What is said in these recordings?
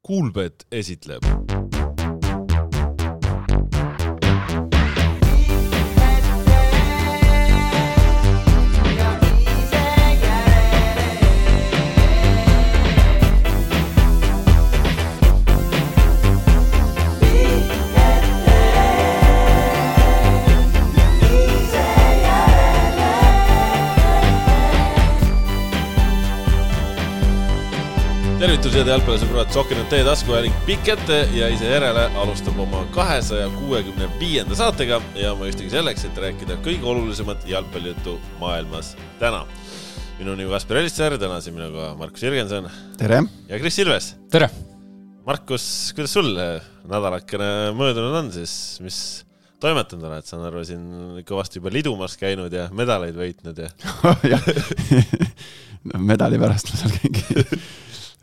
Kuulbet esitleb. Tervitused jalgpallisõbrad, Sokinud teie taskuhääling pikk ette ja ise järele alustab oma 265. saatega ja ma justigi selleks, et rääkida kõige olulisemat jalgpallijuttu maailmas täna. Minu nimi Kasper Elisser, täna siin minuga Markus Jürgenson. Tere! Ja Kris Silves. Tere! Markus, kuidas sul nädalakene möödunud on siis, mis toimetanud oled? Saan arva, siin kõvasti juba lidumas käinud ja medaleid võitnud ja... medali pärast ma seal käingi.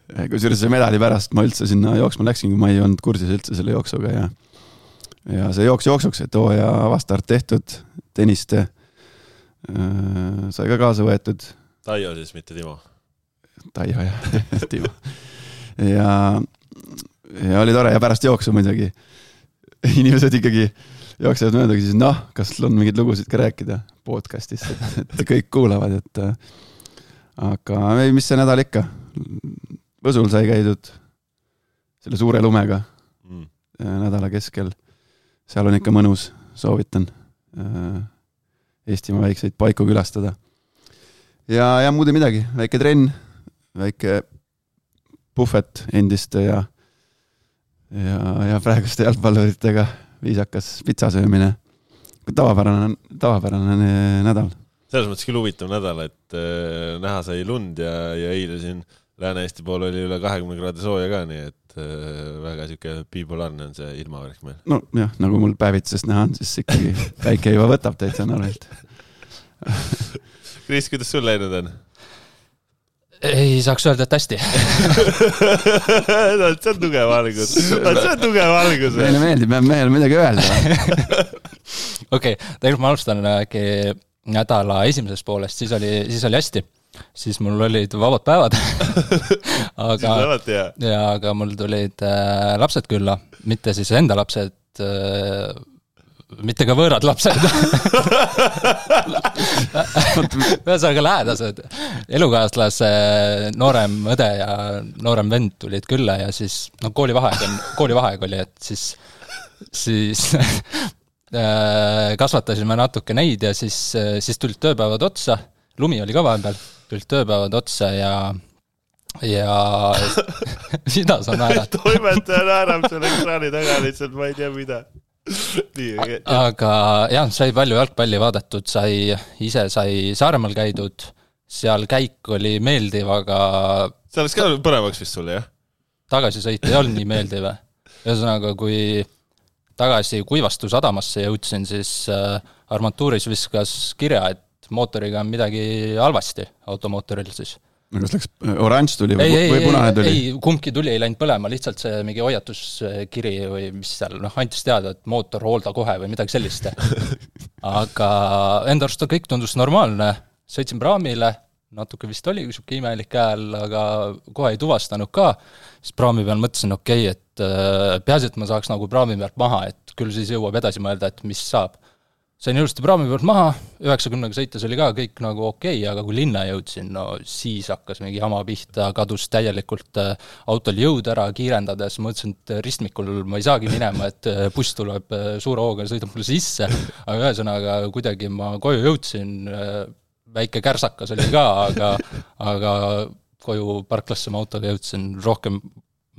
Kusjuures see medali pärast ma üldse sinna jooksma läksin, kui ma ei olnud kursis üldse selle jooksuga ja see jooksuks, et ja avastart tehtud, teniste sai ka kaasa võetud. Taio siis, mitte Timo. Taio, jah, Timo. Ja oli tore ja pärast jooksu muidugi. Inimesed ikkagi jooksevad mööda, siis kas on mingid lugusid ka rääkida podcastis, et kõik kuulavad, aga mis see nädal ikka? Võsul sai käidud selle suure lumega nädala keskel. Seal on ikka mõnus, soovitan Eestimaa väikseid paiku külastada. Ja muud ei midagi, väike trenn, väike puhvet endiste ja praeguste jalgpalluritega viisakas pitsasöömine. Tavapärane nädal. Selles mõttes küll huvitav nädal, et näha sai lund ja eile siin Lääne-Eesti pool oli üle 20 kraadi sooja ka, nii et väga siuke bipolaarne on see ilmavärk meil. No jah, nagu mul päevitsest näha on, siis ikkagi päike juba võtab täitsa narvilt. Kris, kuidas sul läinud on? Ei saaks öelda, et hästi. See on tugev algus. Meile meeldib, meil midagi öelda. Okei, tegelikult ma alustan nädala esimesest poolest, siis oli hästi. Siis mul olid vabad päevad. aga mul tulid lapsed külla, mitte siis enda lapsed, mitte ka võõrad lapsed. Ühesõnaga lähedased. Elukaaslase noorem õde ja noorem vend tulid külla ja siis koolivaheaeg oli, et siis kasvatasime natuke neid ja siis tulid tööpäevad otsa. Lumi oli ka vahepeal, tulid tööpäevad otsa ja mida sa naerad? Toimetaja naerab selle ekraani taga lihtsalt, ma ei tea mida. Aga jah, sai palju jalgpalli vaadatud, ise sai Saaremaal käidud, seal käik oli meeldiv, aga... See oleks ka põnevaks vist sulle, jah? Tagasisõit ei olnud nii meeldiv. Ühesõnaga, kui tagasi Kuivastu sadamasse jõudsin, siis armatuuris viskas kirja, et mootoriga on midagi halvasti automootoril siis. Kas läks oranž tuli või punane tuli? Ei, kumbki tuli ei läinud põlema, lihtsalt see mingi hoiatuskiri või mis seal, antis teada, et mootor hoolda kohe või midagi sellist. Aga enda arust kõik tundus normaalne, sõitsin praamile, natuke vist oli siuke imelik hääl, aga kohe ei tuvastanud ka. Siis praami peal mõtlesin, et peaasi, et ma saaks nagu praami pealt maha, et küll siis jõuab edasi mõelda, et mis saab. Sain ilusti praami pealt maha, 90 sõites oli ka kõik nagu okei, aga kui linna jõudsin, siis hakkas mingi jama pihta, kadus täielikult autol jõud ära kiirendades, mõtlesin, et ristmikul ma ei saagi minema, et buss tuleb suure hooga ja sõidab mulle sisse, aga ühesõnaga kuidagi ma koju jõudsin, väike kärsakas oli ka, aga koju parklasse ma autoga jõudsin rohkem,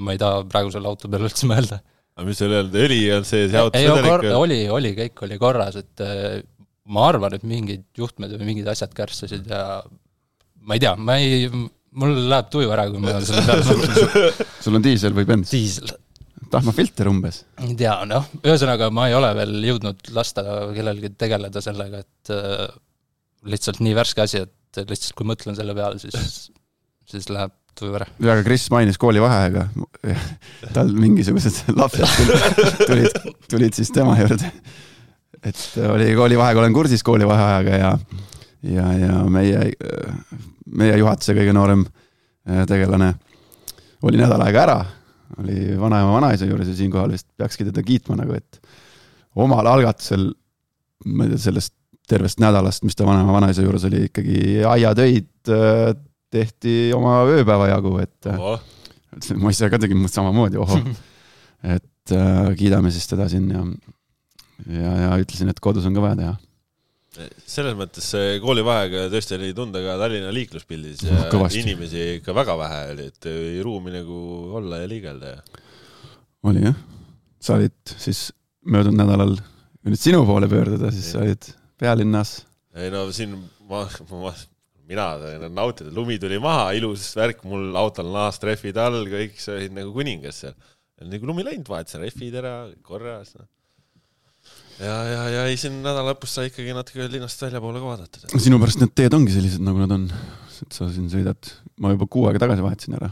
ma ei taha praegusel auto peal üldse mõelda. Aga mis oli öelda, õli on see auto? Oli, kõik oli korras, et ma arvan, et mingid juhtmed või mingid asjad kärsasid ja ma ei tea, mul läheb tuju ära, kui ma selle peale mõtlen. Sul on diisel või bens? Diisel. Tahmafilter umbes? Ei tea, ühesõnaga ma ei ole veel jõudnud lasta kellelgi tegeleda sellega, et lihtsalt nii värske asi, et lihtsalt kui mõtlen selle peale, siis läheb tuju ära. Ja Kris mainis koolivaheaega. Tal mingisugused lapsed tulid siis tema juurde. Et oli koolivaheaega, olen kursis koolivaheajaga ja meie juhatuse kõige noorem tegelane oli nädal aega ära oli vanaema vanaisa juures ja siinkohal vist peakski teda kiitma nagu, et omal algatusel, ma ei tea, sellest tervest nädalast, mis ta vanaema vanaisa juures oli, ikkagi aiatöid tehti oma ööpäeva jagu, et ma ise ka tegin samamoodi, et kiidame siis teda siin ja ütlesin, et kodus on ka vaja teha. Selles mõttes koolivaheega tõesti oli tunda ka Tallinna liikluspildis ja kõvasti. Inimesi ikka väga vähe oli, et ei ruumi nagu olla ja liigelda. Oli jah. Sa olid siis möödunud nädalal nüüd sinu poole pöörduda, siis sa olid pealinnas. Ei no siin mina nautida, lumi tuli maha, ilus värk, mul autol naastreffid all, kõik see olid nagu kuningas seal. Nagu lumi läinud, vahet see reffid ära, korras. Ja ei siin nädala lõpus sa ikkagi natuke linnast välja poole ka vaadata. Sinu pärast need teed ongi sellised, nagu nad on. Et sa siin sõidad, ma juba 6 aega tagasi vahetasin ära.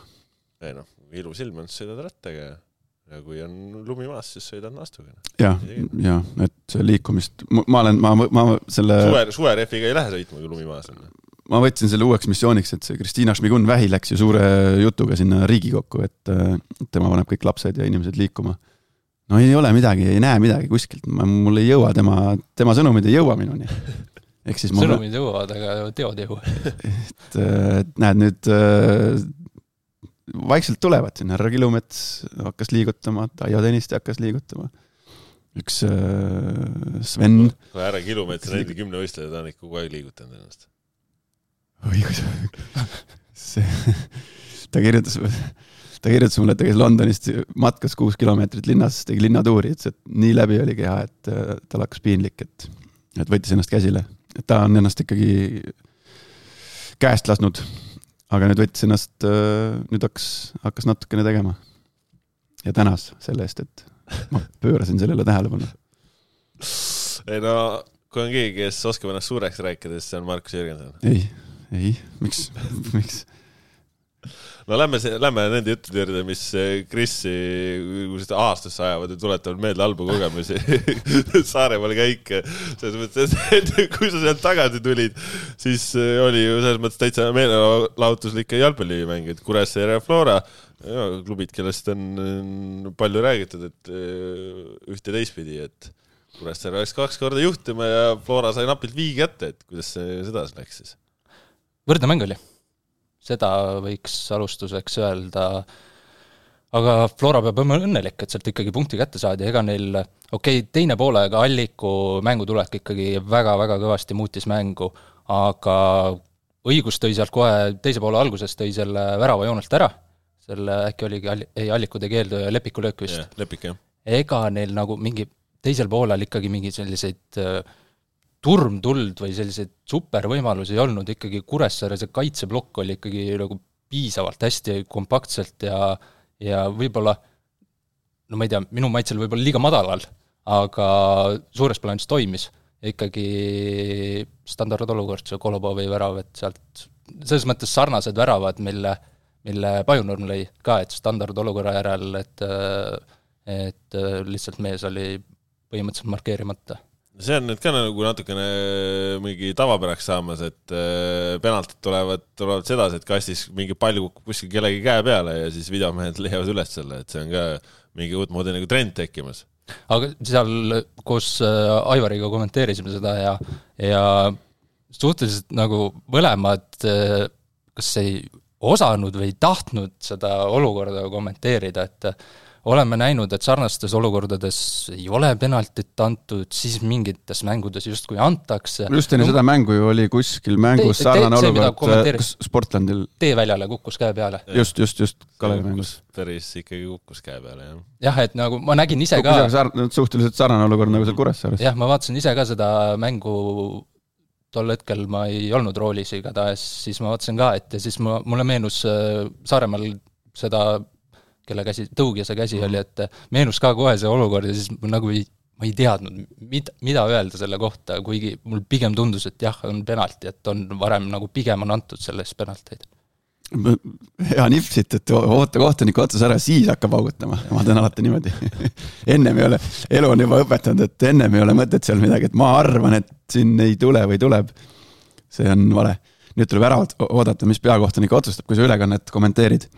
Ei noh, ilus ilm on, sõidad rattaga ja kui on lumi maas, siis sõidad naastuga. Ja, et liikumist, ma selle... Suvereffiga ei lähe sõitma, kui lumi maas on. Ma võtsin selle uueks missiooniks, et see Kristiina Šmigun-Vähi läks ju suure jutuga sinna Riigikokku, et tema paneb kõik lapsed ja inimesed liikuma. No ei ole midagi, ei näe midagi kuskilt, mul ei jõua tema sõnumid ei jõua minuni. Siis sõnumid jõuavad, aga teod jõua. et näed nüüd vaikselt tulevad siin, härra Kilumets hakkas liigutama, Taio Tõniste hakkas liigutama. Üks Sven. Härra Kilumets on enda 10 võistlejad, ta on ikka kogu aeg liigutanud ennast. Õigus. Ta kirjutas mulle, et ta käis Londonist matkas 6 kilomeetrit linnas, tegi linnatuuri, et nii läbi oli keha, et tal hakkas piinlik, et võttis ennast käsile. Et ta on ennast ikkagi käest lasnud, aga nüüd võttis ennast, nüüd hakkas natukene tegema. Ja tänas selle eest, et ma pöörasin sellele tähelepanu. Ei no, kui on keegi, kes oskab ennast suureks rääkida, siis see on Markus Jürgenson. Ei, miks? No lähme nende juttude juurde, mis Krissi aastasse ajavad ja tuletavad meelde halbu kogemusi Saaremaal käik. Selles mõttes, et kui sa sealt tagasi tulid, siis oli ju selles mõttes täitsa meelelahutuslik jalgpallimäng, et Kuressaare ja Flora, klubid, kellest on palju räägitud, et ühte teistpidi, et Kuressaare oleks 2 korda juhtima ja Flora sai napilt viigi ette, et kuidas see seda läks siis? Võrdne mäng oli. Seda võiks alustuseks öelda, aga Flora peab õnnelik, et sealt ikkagi punkti kätte saadi, ega neil, teine poolega Alliku mängutulek ikkagi väga-väga kõvasti muutis mängu, aga õigus tõi sealt kohe teise poole alguses tõi selle värava joonelt ära, selle äkki oligi Alliku tegi keeldu ja Lepiku löök vist. Lepik, jah. Ega neil nagu mingi teisel poolel ikkagi mingi selliseid turmtuld või selliseid supervõimalusi ei olnud, ikkagi Kuressaare see kaitseblokk oli ikkagi nagu piisavalt hästi kompaktselt ja võib-olla, no ma ei tea, minu maitsel võib-olla liiga madalal, aga suures plaanis toimis. Ikkagi standardolukord, see Kolobovi värav, et sealt selles mõttes sarnased väravad, mille Pajunurm lõi ka, et standardolukorra järel, et lihtsalt mees oli põhimõtteliselt markeerimata. See on nüüd ka nagu natukene mingi tavapäraks saamas, et penaltid tulevad sedasi, et kastis mingi pall kukub kuskil kellegi käe peale ja siis videomehed leiavad üles selle, et see on ka mingi uut moodi nagu trend tekkimas. Aga seal koos Aivariga kommenteerisime seda ja suhteliselt nagu mõlemad kas ei osanud või tahtnud seda olukorda kommenteerida, et oleme näinud, et sarnastes olukordades ei ole penaltit antud, siis mingites mängudes justkui antakse. Just enne seda mängu ju oli kuskil mängus sarnane olukord Sportlandil. Teeväljale kukkus käe peale. Just Kalevi mängus. Päris ikkagi kukkus käe peale, jah. Jah, et nagu ma nägin ise ka... Suhteliselt sarnane olukord nagu seal Kuressaares. Jah, ma vaatasin ise ka seda mängu tol hetkel ma ei olnud roolis igatahes, siis ma vaatasin ka, et ja siis mulle meenus Saaremaal seda kelle käsi, tõugja see käsi oli, et meenus ka kohe see olukord ja siis nagu ma ei teadnud, mida öelda selle kohta, kuigi mul pigem tundus, et jah, on penalti, et on varem nagu pigem on antud sellest penalteid. Hea nipsit, et oota kohtuniku otsas ära, siis hakkab augutama. Ma teen alati niimoodi. Ennem ei ole, elu on juba õpetanud, et ennem ei ole mõtet seal midagi, et ma arvan, et siin ei tule või tuleb. See on vale. Nüüd tuleb ära oodata, mis peakohtunik otsustab, kui sa ülekannet kommenteerid.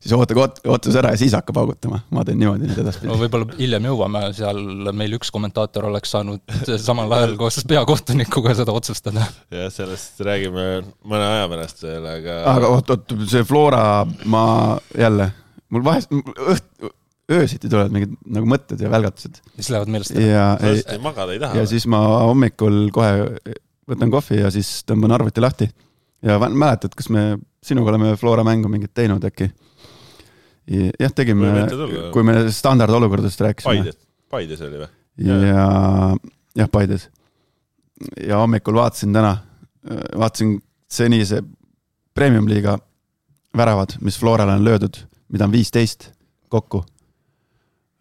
siis ootus ära ja siis hakkab augutama. Ma teen niimoodi nüüd edaspidi. No võib-olla hiljem jõuame, seal meil üks kommentaator oleks saanud samal ajal koos peakohtunikuga seda otsustada. Ja sellest räägime mõne aja pärast veel, aga oot, see Flora, ma jälle, mul vahest öösiti tulevad mingid nagu mõtted ja välgatused. Mis lähevad meelest ära? Magada ei taha. Ja siis ma hommikul kohe võtan kohvi ja siis tõmban arvuti lahti. Ja mäletad, kas me sinuga oleme Flora mängu mingit teinud äkki? Jah, tegime, kui me standardolukordadest rääkisime. Paides oli või? Ja Paides. Ja hommikul vaatasin senise premium-liiga väravad, mis Florale on löödud, mida on 15 kokku.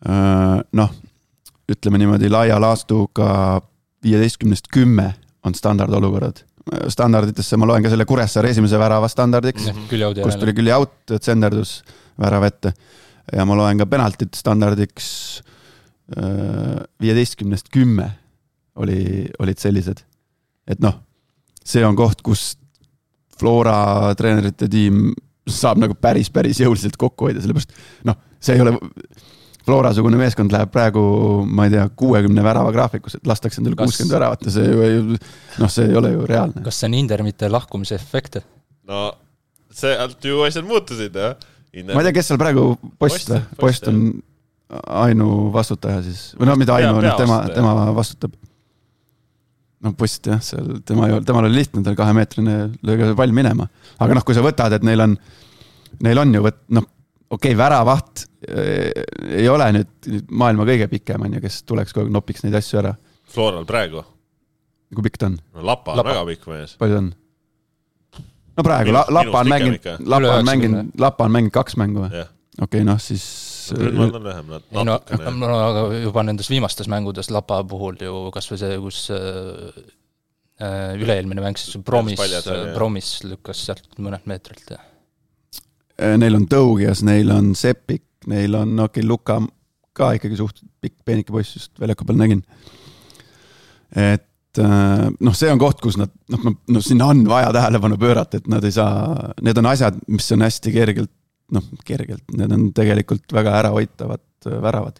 Noh, ütleme niimoodi laia laastuga 15-10 on standardolukorrad. Standarditesse ma loen ka selle Kuressaare esimese värava standardiks, kus tuli küll jaut, tsenderdus värav ette. Ja ma loen ka penaltit standardiks 15-10 olid sellised. Et noh, see on koht, kus Flora treenerite tiim saab nagu päris jõuliselt kokku hoida, sellepärast noh, see ei ole Flora-sugune meeskond läheb praegu, ma ei tea, 60 värava graafikus, et lastakse endale 60 väravat ja see ei ole ju reaalne. Kas see on Indermite lahkumise efekt? No, see ju asjad muutusid, jah? Ma ei tea, kes seal praegu Post on ainu vastutaja siis, või no mida ainu on, tema vastutab. No Post jah, temal oli lihtne, tal 2-meetrine lööga pall minema. Aga noh, kui sa võtad, et neil on ju okei, väravaht ei ole nüüd maailma kõige pikem, kes tuleks kogu nopiks neid asju ära. Floral praegu? Kui pikk ta on? No Lapa on väga pikk mees. Palju on? No praegu, Lapa on mänginud 2 mängu või? Okei, noh siis... Grünwald on vähem, natukene. No aga juba nendes viimastes mängudes Lapa puhul ju kas või see, kus üle-eelmine mäng, siis Promis lükkas sealt mõned meetrilt. Neil on Tõugias, neil on Sepik, neil on Luka ka ikkagi suht pikk peenike poiss, just väljaku peal nägin. Et noh, see on koht, kus nad, sinna on vaja tähelepanu pöörata, et nad ei saa, need on asjad, mis on hästi kergelt, need on tegelikult väga ärahoitavad väravad.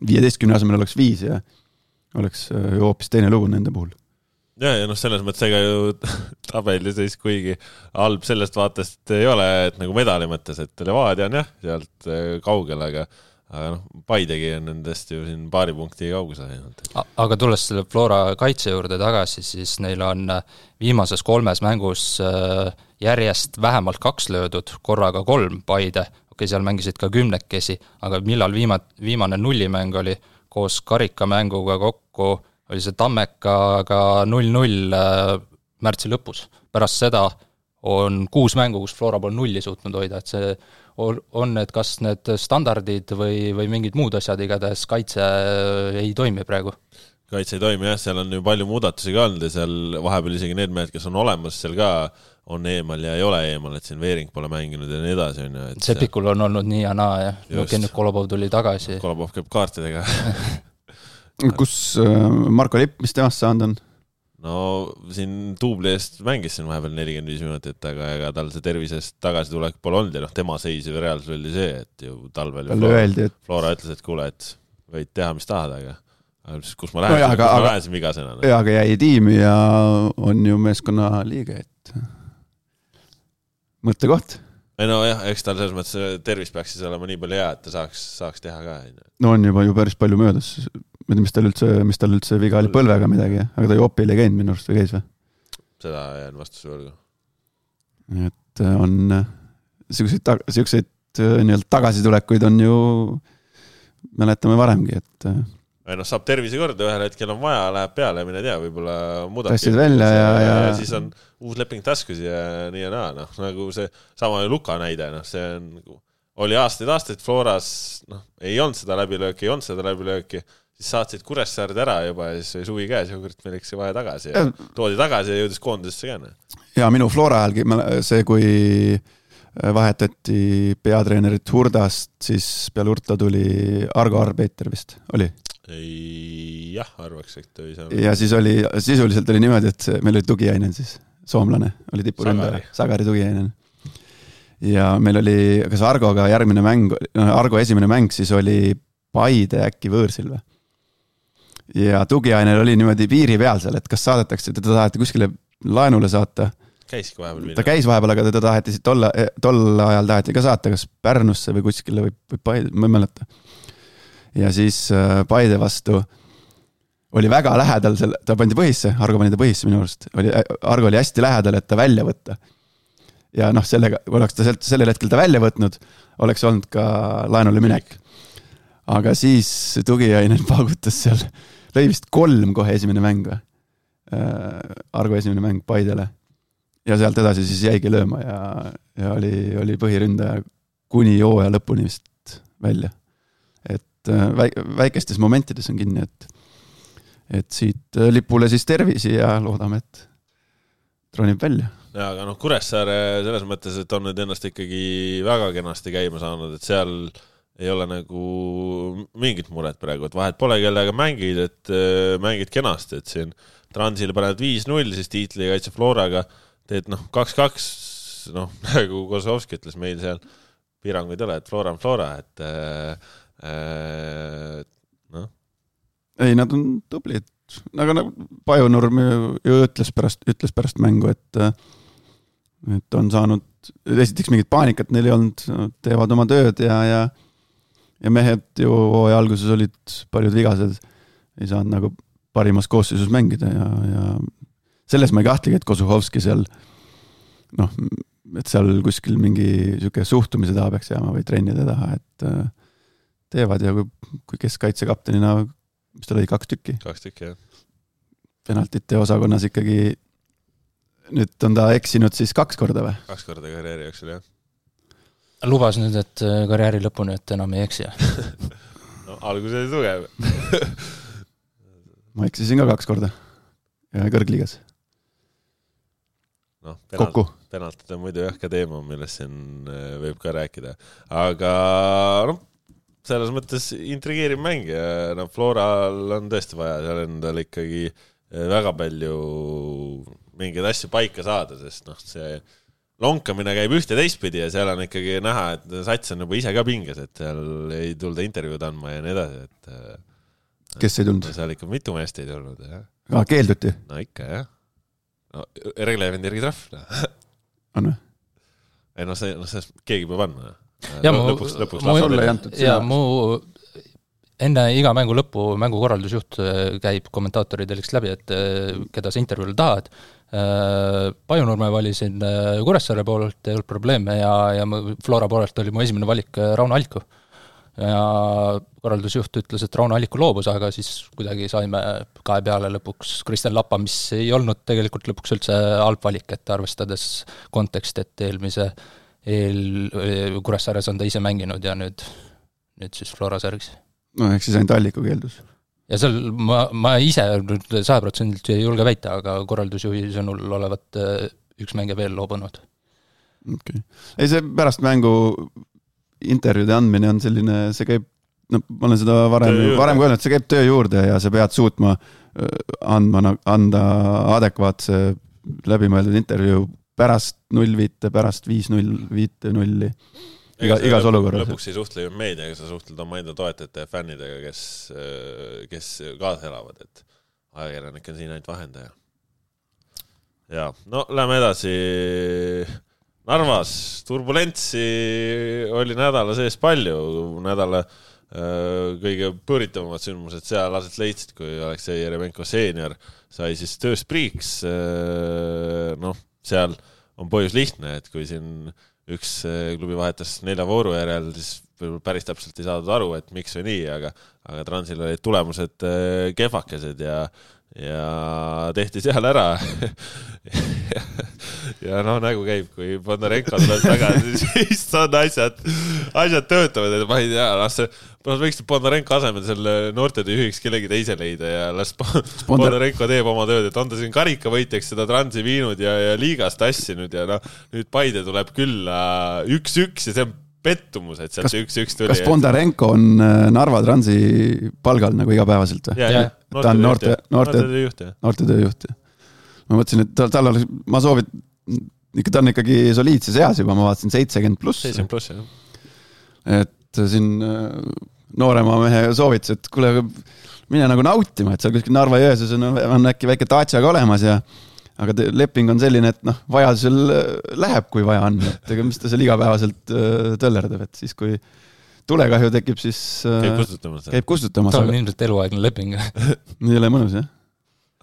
15 asemel oleks 5 ja oleks ju hoopis teine lugu nende puhul. Ja selles mõttes ega ju tabeli siis kuigi halb sellest vaatest ei ole, et nagu medali mõttes, et Levadia on jah, sealt kaugel, aga Paidegi on nendest ju siin paari punkti kaugusel. Aga tulles selle Flora kaitse juurde tagasi, siis neil on viimases 3 mängus järjest vähemalt 2 löödud, korraga 3 Paide. Okei, seal mängisid ka 10-kesi, aga millal viimane nullimäng oli koos karikamänguga kokku, oli see Tammekaga 0-0 märtsi lõpus. Pärast seda on 6 mängu, kus Flora pole 0 suutnud hoida, et see on, et kas need standardid või mingid muud asjad, igatahes kaitse ei toimi praegu. Kaitse ei toimi, jah, seal on ju palju muudatusi ka olnud ja seal vahepeal isegi need mehed, kes on olemas, seal ka on eemal ja ei ole eemal, et siin Veering pole mänginud ja nii edasi. Sepikul on olnud nii ja naa, ja nüüd Kolobov tuli tagasi. Kolobov käib kaartidega. Kus Marko Lipp, mis temast saanud on? No siin Tuubli eest mängis siin vahepeal 45 minutit, aga ega tal see tervisest tagasi tulek pole olnud ja tema seis ju reaalselt oli see, et ju talvel Flora ütles, et kuule, et võid teha, mis tahad, aga kus ma lähesin vigasena. Ja, aga jäi tiimi ja on ju meeskonna liige, et mõttekoht. Ei no jah, eks tal selles mõttes tervis peaks siis olema nii palju hea, et ta saaks teha ka. No on juba ju päris palju möödas. Ma ei tea, mis tal üldse viga oli põlvega midagi, aga ta ju opil ei käinud minu arust või käis või? Seda jään vastuse võrgu. Et on siukseid nii-öelda tagasitulekuid on ju mäletame varemgi, et saab tervise korda, ühel hetkel on vaja, läheb peale ja mine tea, võib-olla muudab välja ja siis on uus leping taskus ja nii ja naa, nagu see sama Luka näide, see on, oli aastaid Floras, ei olnud seda läbilööki, siis saatsid Kuressaard ära juba ja siis oli suvi käes ja kurat meil eks vaja tagasi ja toodi tagasi ja jõudis koondisesse käne. Ja minu Flora ajalgi see, kui vahetati peatreenerit Hurdast, siis peale Hurta tuli Argo Arbeiter vist, oli? Jah, arvaks, et ei saa. Ja siis sisuliselt oli niimoodi, et meil oli tugiainen siis, soomlane, oli tipuründaja, Sagari tugiainen. ja meil oli, kas Argoga järgmine mäng, Argo esimene mäng siis oli Paide äkki võõrsil või? Ja tugiainel oli niimoodi piiri peal seal, et kas saadetakse, teda taheti kuskile laenule saata. Käiski vahepeal. Ta käis vahepeal, aga teda taheti tol ajal taheti ka saata, kas Pärnusse või kuskile või Paide, ma ei mäleta. Ja siis Paide vastu oli väga lähedal, ta pandi põhisse, Argo pani ta põhisse minu arust. Argo oli hästi lähedal, et ta välja võtta. Ja noh, sellega, kui oleks ta sellel hetkel ta välja võtnud, oleks olnud ka laenule minek. Aga siis tugiainel paugutas seal, lõi vist 3 kohe esimene mäng või? Argo esimene mäng Paidele. Ja sealt edasi siis jäigi lööma ja oli põhiründaja kuni hooaja lõpuni vist välja. Et väikestes momentides on kinni, et siit lipule siis tervisi ja loodame, et tronib välja. Ja, aga noh, Kuressaare selles mõttes, et on nüüd ennast ikkagi väga kenasti käima saanud, et seal ei ole nagu mingit muret praegu, et vahet pole kellega mängid, et mängid kenasti, et siin Transil paned 5-0, siis tiitli kaitse Floraga teed 2-2, nagu Kozovski ütles meil seal, piiranguid ei ole, et Flora on Flora, et Ei, nad on tublid, aga Pajunurm ju ütles pärast mängu, et on saanud, esiteks mingit paanikat neil ei olnud, teevad oma tööd ja mehed ju hooaja alguses olid paljud vigased, ei saanud nagu parimas koosseisus mängida ja selles ma ei kahtlegi, et Kozuhovski seal et seal kuskil mingi siuke suhtumise taha peaks jääma või trennide taha, et teevad ja kui keskkaitsekaptenina, mis ta lõi 2 tükki. 2 tükki, jah. Penaltite osakonnas ikkagi nüüd on ta eksinud siis 2 korda või? 2 korda karjääri jooksul, jah. Lubas nüüd, et karjääri lõpuni, et enam ei eksi. No, algus oli tugev. Ma eksisin ka 2 korda ja kõrgliigas. Kokku. Penaltid on muidu jah ka teema, millest siin võib ka rääkida. Aga selles mõttes intrigeeriv mäng ja Floral on tõesti vaja seal endal ikkagi väga palju mingeid asju paika saada, sest see lonkamine käib ühte teistpidi ja seal on ikkagi näha, et sats on juba ise ka pinges, et seal ei tulda intervjuud andma ja nii edasi, et kes ei tulnud? Seal ikka mitu meest ei tulnud, jah. Keelduti? No ikka, jah. Reglevendi järgi trahv. On või? Ei, see keegi peab andma. Ja mu enne iga mängu lõppu mängukorraldusjuht käib kommentaatoridel läbi, et keda sa intervjuule tahad. Pajunurme valisin Kuressaare poolelt, ei olnud probleeme ja Flora poolelt oli mu esimene valik Rauno Alliku. Ja korraldusjuht ütles, et Rauno Alliku loobus, aga siis kuidagi saime 2 peale lõpuks Kristjan Lappa, mis ei olnud tegelikult lõpuks üldse halb valik, et arvestades kontekst, et eelmise Kuressaares on ta ise mänginud ja nüüd siis Flora särgis. No ehk siis ainult Alliku keeldus. Ja seal ma ise 100% ei julge väita, aga korraldusjuhi sõnul olevat üks mänge veel loobunud. Okay. Ei, see pärast mängu intervjuude andmine on selline, see käib, ma olen seda varem kui öelnud, see käib töö juurde ja sa pead suutma anda adekvaatse läbimõeldud intervjuu pärast 0-5, pärast 5-0, 5-0 igas olukorras. Lõpuks ei suhtle ju meediaga, sa suhtled oma enda toetajate ja fännidega, kes kaasa elavad, et ajakirjanik on siin ainult vahendaja. Ja, lähme edasi. Narvas turbulentsi oli nädala sees palju, nädala kõige põritavamad sündmused seal aset leidsid, kui Aleksei Jeremenko seenior sai siis tööspriiks. Seal on põhjus lihtne, et kui siin üks klubi vahetas 4 vooru järel, siis päris täpselt ei saadud aru, et miks või nii, aga Transil olid tulemused kehvakesed ja tehti seal ära ja nägu käib, kui Bondarenko tuleb tagasi, siis on asjad töötavad, et ma ei tea, võiks Bondarenko asemel selle noortetöö juhiks kellegi teise leida ja las Bondarenko teeb oma tööd, et on ta siin karikavõitjaks seda Transi viinud ja liigast tassinud ja nüüd Paide tuleb külla 1-1 ja see on pettumus, et sealt 1-1 tuli. Kas Bondarenko on Narva Transi palgal nagu igapäevaselt või? Jah, ta on noortetööjuht. Ma mõtlesin, et ma ta on ikkagi soliidses eas juba, ma vaatasin 70+. 70+, jah. Et siin noorema mehe soovitus, et kuule, mine nagu nautima, et seal kuskil Narva-Jõesuus on äkki väike taatsaga olemas aga leping on selline, et vajadusel läheb, kui vaja on, et ega mis ta seal igapäevaselt tõllerdab, et siis kui tulekahju tekib, siis käib kustutamas. Ta on ilmselt eluaegne leping. Nii ole mõnus, jah?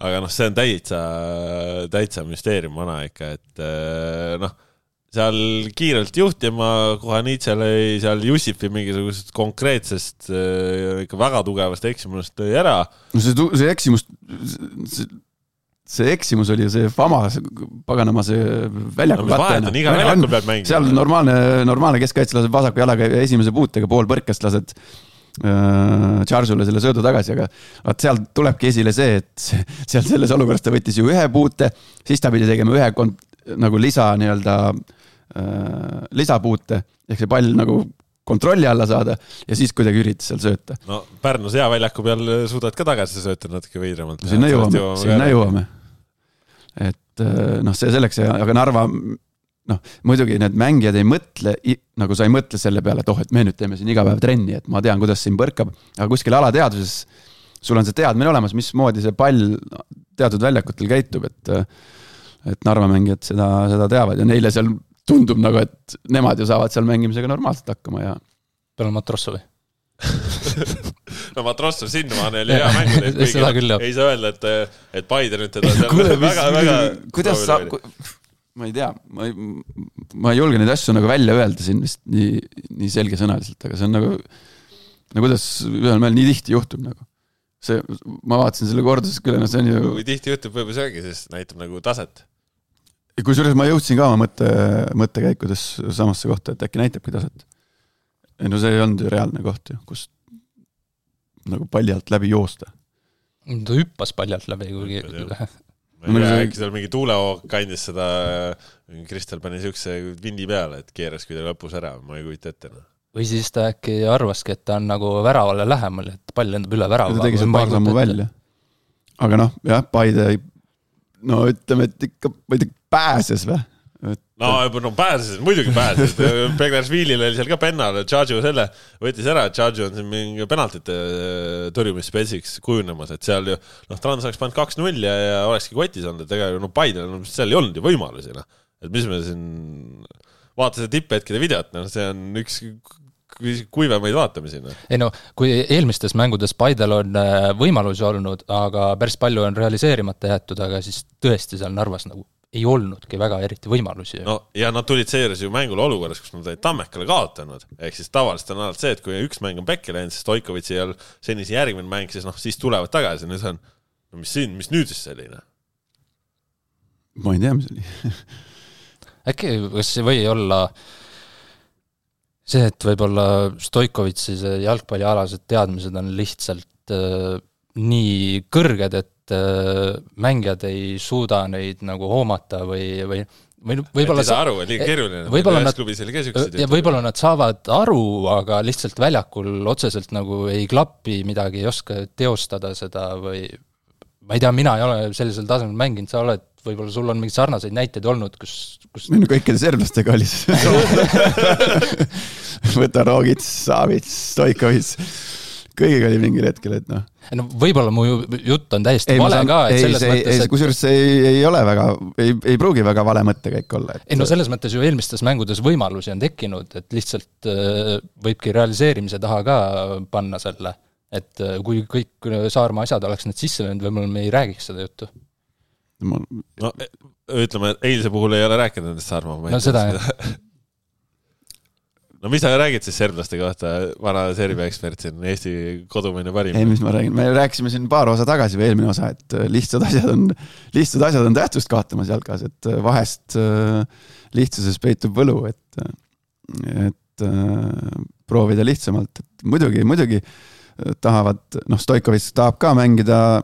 Aga see on täitsa müsteerium vana ikka, et seal kiirelt juhtima kohe Niitsel seal Jussifi mingisugusest konkreetsest ikka väga tugevast eksimust tõi ära. No see eksimus oli see Fama paganama see väljaku katte. Iga väljakul peab mängima. Seal normaalne keskkaitse laseb vasaku jalaga esimese puutega pool põrkast lased Charge'ule selle söödu tagasi, aga seal tulebki esile see, et seal selles olukorras ta võttis ju ühe puute, siis ta pidi tegema ühe nagu lisapuute, ehk see pall nagu kontrolli alla saada ja siis kuidagi üritas seal sööta. No Pärnus hea väljaku peal suudad ka tagasi sööta natuke veidramalt. Sinna jõuame. Et see selleks, aga Narva, muidugi need mängijad ei mõtle, nagu sa ei mõtle selle peale, et et me nüüd teeme siin iga päev trenni, et ma tean, kuidas siin põrkab, aga kuskil alateaduses sul on see teadmine olemas, mismoodi see pall teatud väljakutel käitub, et Narva mängijad seda teavad ja neile seal tundub nagu, et nemad ju saavad seal mängimisega normaalselt hakkama ja peale Matrossovi. No Matrossov sinnamaan oli hea mängud, ei saa öelda, et Paide nüüd teda väga kuidas sa, ma ei tea, ma ei julge neid asju nagu välja öelda siin vist nii selgesõnaliselt, aga see on nagu kuidas ühel mehel nii tihti juhtub nagu. Ma vaatasin selle korduses küll, see on ju kui tihti juhtub võib-olla söögi, siis näitab nagu taset. Kui suures ma jõudsin ka oma mõttekäikudes samasse kohta, et äkki näitabki taset. No see ei olnud ju reaalne koht ju, kus nagu palli alt läbi joosta. Ta hüppas palli alt läbi kuigi. Ma äkki seal mingi tuulehoog kandis seda, Kristel pani siukse vindi peale, et keeras kuidagi lõpus ära, ma ei kujuta ette. Või siis ta äkki arvaski, et ta on nagu väravale lähemal, et pall lendab üle värava. Ta tegi see paar sammu välja. Aga jah, Paide ütleme, et ikka pääses või? Pääses, muidugi pääses. Begnarsviilil oli seal ka pennal, Charge selle võttis ära, Charge on siin mingi penaltite tõrjumisspesiks kujunemas, et seal ju, Trans oleks pannud 2-0 ja olekski kotis olnud, et ega Paidel seal ei olnud ju võimalusi. Et mis me siin vaatasin tipphetkide videot, see on üks kuivemaid vaatamisi. Ei kui eelmistes mängudes Paidel on võimalusi olnud, aga päris palju on realiseerimata jäetud, aga siis tõesti seal Narvas nagu ei olnudki väga eriti võimalusi. Ja nad tulid seejuures ju mängule olukorras, kus nad olid Tammekale kaotanud. Ehk siis tavaliselt on alati see, et kui üks mäng on pekki läinud, siis Stoikovitsi ei ole senise järgmine mäng, siis tulevad tagasi. Nüüd on, mis nüüd siis selline? Ma ei tea, mis oli. Äkki kas see või olla see, et võib-olla Stoikovitsi jalgpallialased teadmised on lihtsalt nii kõrged, et mängijad ei suuda neid nagu hoomata või võib-olla võib-olla nad saavad aru, aga lihtsalt väljakul otseselt nagu ei klappi midagi, ei oska teostada seda või ma ei tea, mina ei ole sellisel tasemel mänginud, sa oled, võib-olla sul on mingid sarnaseid näiteid olnud, kus Minu kõikide serblastega oli võta Rogits, Savits, Stoikovits kõigiga oli mingil hetkel, et võib-olla mu jutt on täiesti vale ka, et selles mõttes, kusjuures see ei ole väga, ei pruugi väga vale mõttekäik olla. Selles mõttes ju eelmistes mängudes võimalusi on tekkinud, et lihtsalt võibki realiseerimise taha ka panna selle, et kui kõik Saarma asjad oleks need sisse löönud, võib-olla me ei räägiks seda juttu. Ütleme, et eilse puhul ei ole rääkinud nendest Saarma. Seda mis sa räägid siis serblaste kohta, vana Serbia ekspert siin, Eesti kodumaine parim? Ei, mis ma räägin, me rääkisime siin paar osa tagasi või eelmine osa, et lihtsad asjad on tähtsust kaotamas jalgas, et vahest lihtsuses peitub võlu, et proovida lihtsamalt. Et muidugi tahavad, Stoikovits tahab ka mängida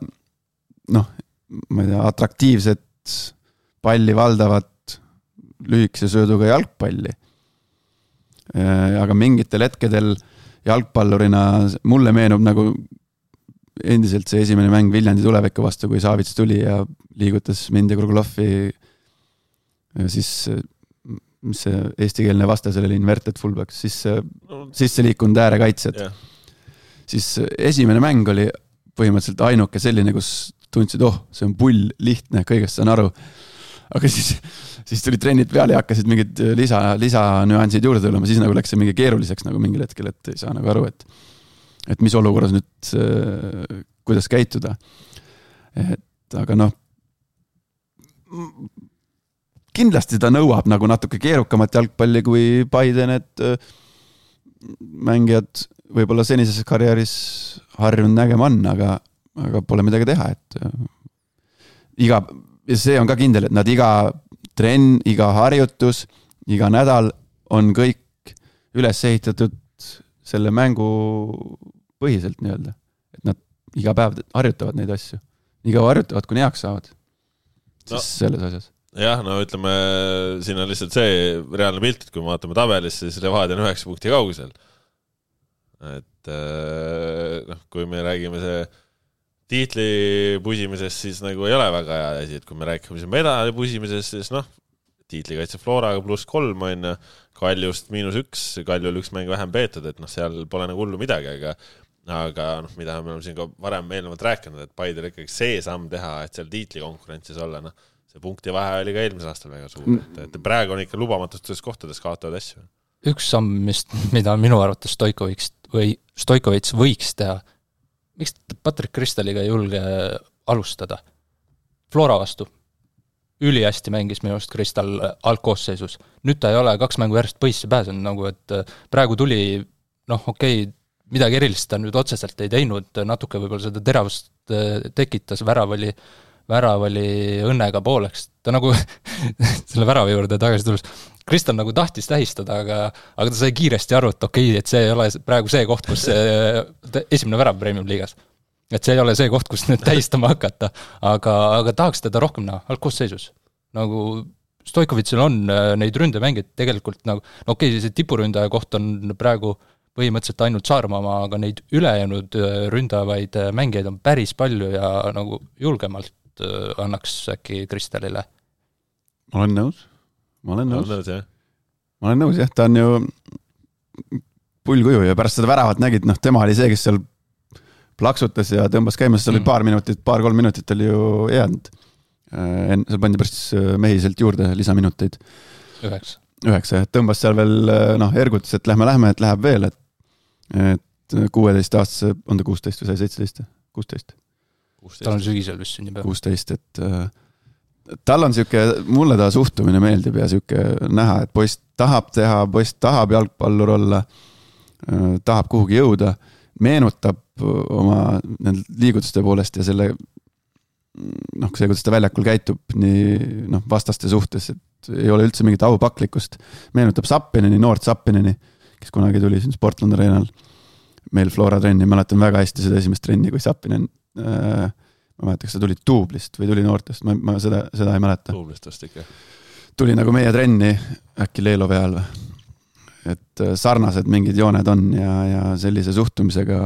ma ei tea, atraktiivset palli valdavat lühikese sööduga jalgpalli. Aga mingitel hetkedel jalgpallurina mulle meenub nagu endiselt see esimene mäng Viljandi Tuleviku vastu, kui Savits tuli ja liigutas mind ja Kruglovi siis mis see eestikeelne vaste sellele inverted fullback, siis sisse liikunud äärekaitsjad. Siis esimene mäng oli põhimõtteliselt ainuke selline, kus tundsid, see on pull, lihtne, kõigest saan aru. Aga siis tuli trennid peale ja hakkasid mingid lisanüansid juurde tulema, siis nagu läks see mingi keeruliseks nagu mingil hetkel, et ei saa nagu aru, et mis olukorras nüüd, kuidas käituda. Aga kindlasti ta nõuab nagu natuke keerukamat jalgpalli kui Paide need mängijad võib-olla senises karjääris harjunud nägema on, aga pole midagi teha, et see on ka kindel, et nad iga trenn, iga harjutus, iga nädal on kõik üles ehitatud selle mängu põhiselt nii-öelda, et nad iga päev harjutavad neid asju, iga harjutavad, kuni heaks saavad siis selles asjas. Jah, ütleme, siin on lihtsalt see reaalne pilt, et kui me vaatame tabelis, siis Levadia on 9 punkti kaugusel. Et kui me räägime see tiitli pusimisest, siis nagu ei ole väga hea asi, et kui me räägime medali pusimisest, siis tiitlikaitse Floraga +3 on Kaljust -1, Kaljul 1 mäng vähem peetud, et seal pole nagu hullu midagi, aga mida me oleme siin ka varem eelnevalt rääkinud, et Paidel ikkagi see samm teha, et seal tiitli konkurentsis olla, see punkti vahe oli ka eelmisel aastal väga suur, et praegu on ikka lubamatustes kohtades kaotavad asju. Üks samm, mida minu arvates Stoikovits võiks teha, miks Patrick Kristaliga ei julge alustada? Flora vastu. Ülihästi mängis minu arust Kristal algkoosseisus. Nüüd ta ei ole 2 mängu järjest põisse pääsenud, nagu et praegu tuli, midagi erilist ta nüüd otseselt ei teinud, natuke võib-olla seda teravust tekitas, värav oli õnnega pooleks. Ta nagu selle väravi juurde tagasi tulles, Kristal nagu tahtis tähistada, aga ta sai kiiresti aru, et et see ei ole praegu see koht, kus esimene värav Premium liigas. Et see ei ole see koht, kus nüüd tähistama hakata, aga tahaks teda rohkem algkoosseisus. Nagu Stoikovitsil on neid ründemängid tegelikult nagu, see tipuründaja koht on praegu põhimõtteliselt ainult Saarmaa, aga neid ülejäänud ründavaid mängijaid on päris palju ja nagu julgemalt annaks äkki Kristalile. Ma olen nõus, jah, ta on ju pullkuju ja pärast seda väravat nägid, tema oli see, kes seal plaksutas ja tõmbas käimas, seal oli paar-3 minutit oli ju jäänud. Seal pandi pärast mehiselt juurde lisaminuteid. 9, tõmbas seal veel, ergutas, et lähme, et läheb veel, et 16 aastase, on ta 16 või sai 17? 16. Tal on sügisel vist sünnib. 16, et tal on mulle ta suhtumine meeldib ja näha, et poiss tahab teha, poiss tahab jalgpallur olla, tahab kuhugi jõuda, meenutab oma liigutuste poolest ja selle see, kuidas ta väljakul käitub nii vastaste suhtes, et ei ole üldse mingit aupaklikkust. Meenutab Sappineni, noort Sappineni, kes kunagi tuli siin Sportland Arenal meil Flora trenni, mäletan väga hästi seda esimest trenni, kui Sappinen ma mäletan, kas ta tuli Tuublist või tuli noortest, ma seda ei mäleta. Tuublistast ikka. Tuli nagu meie trenni äkki Leelo peal või. Et sarnased mingid jooned on ja sellise suhtumisega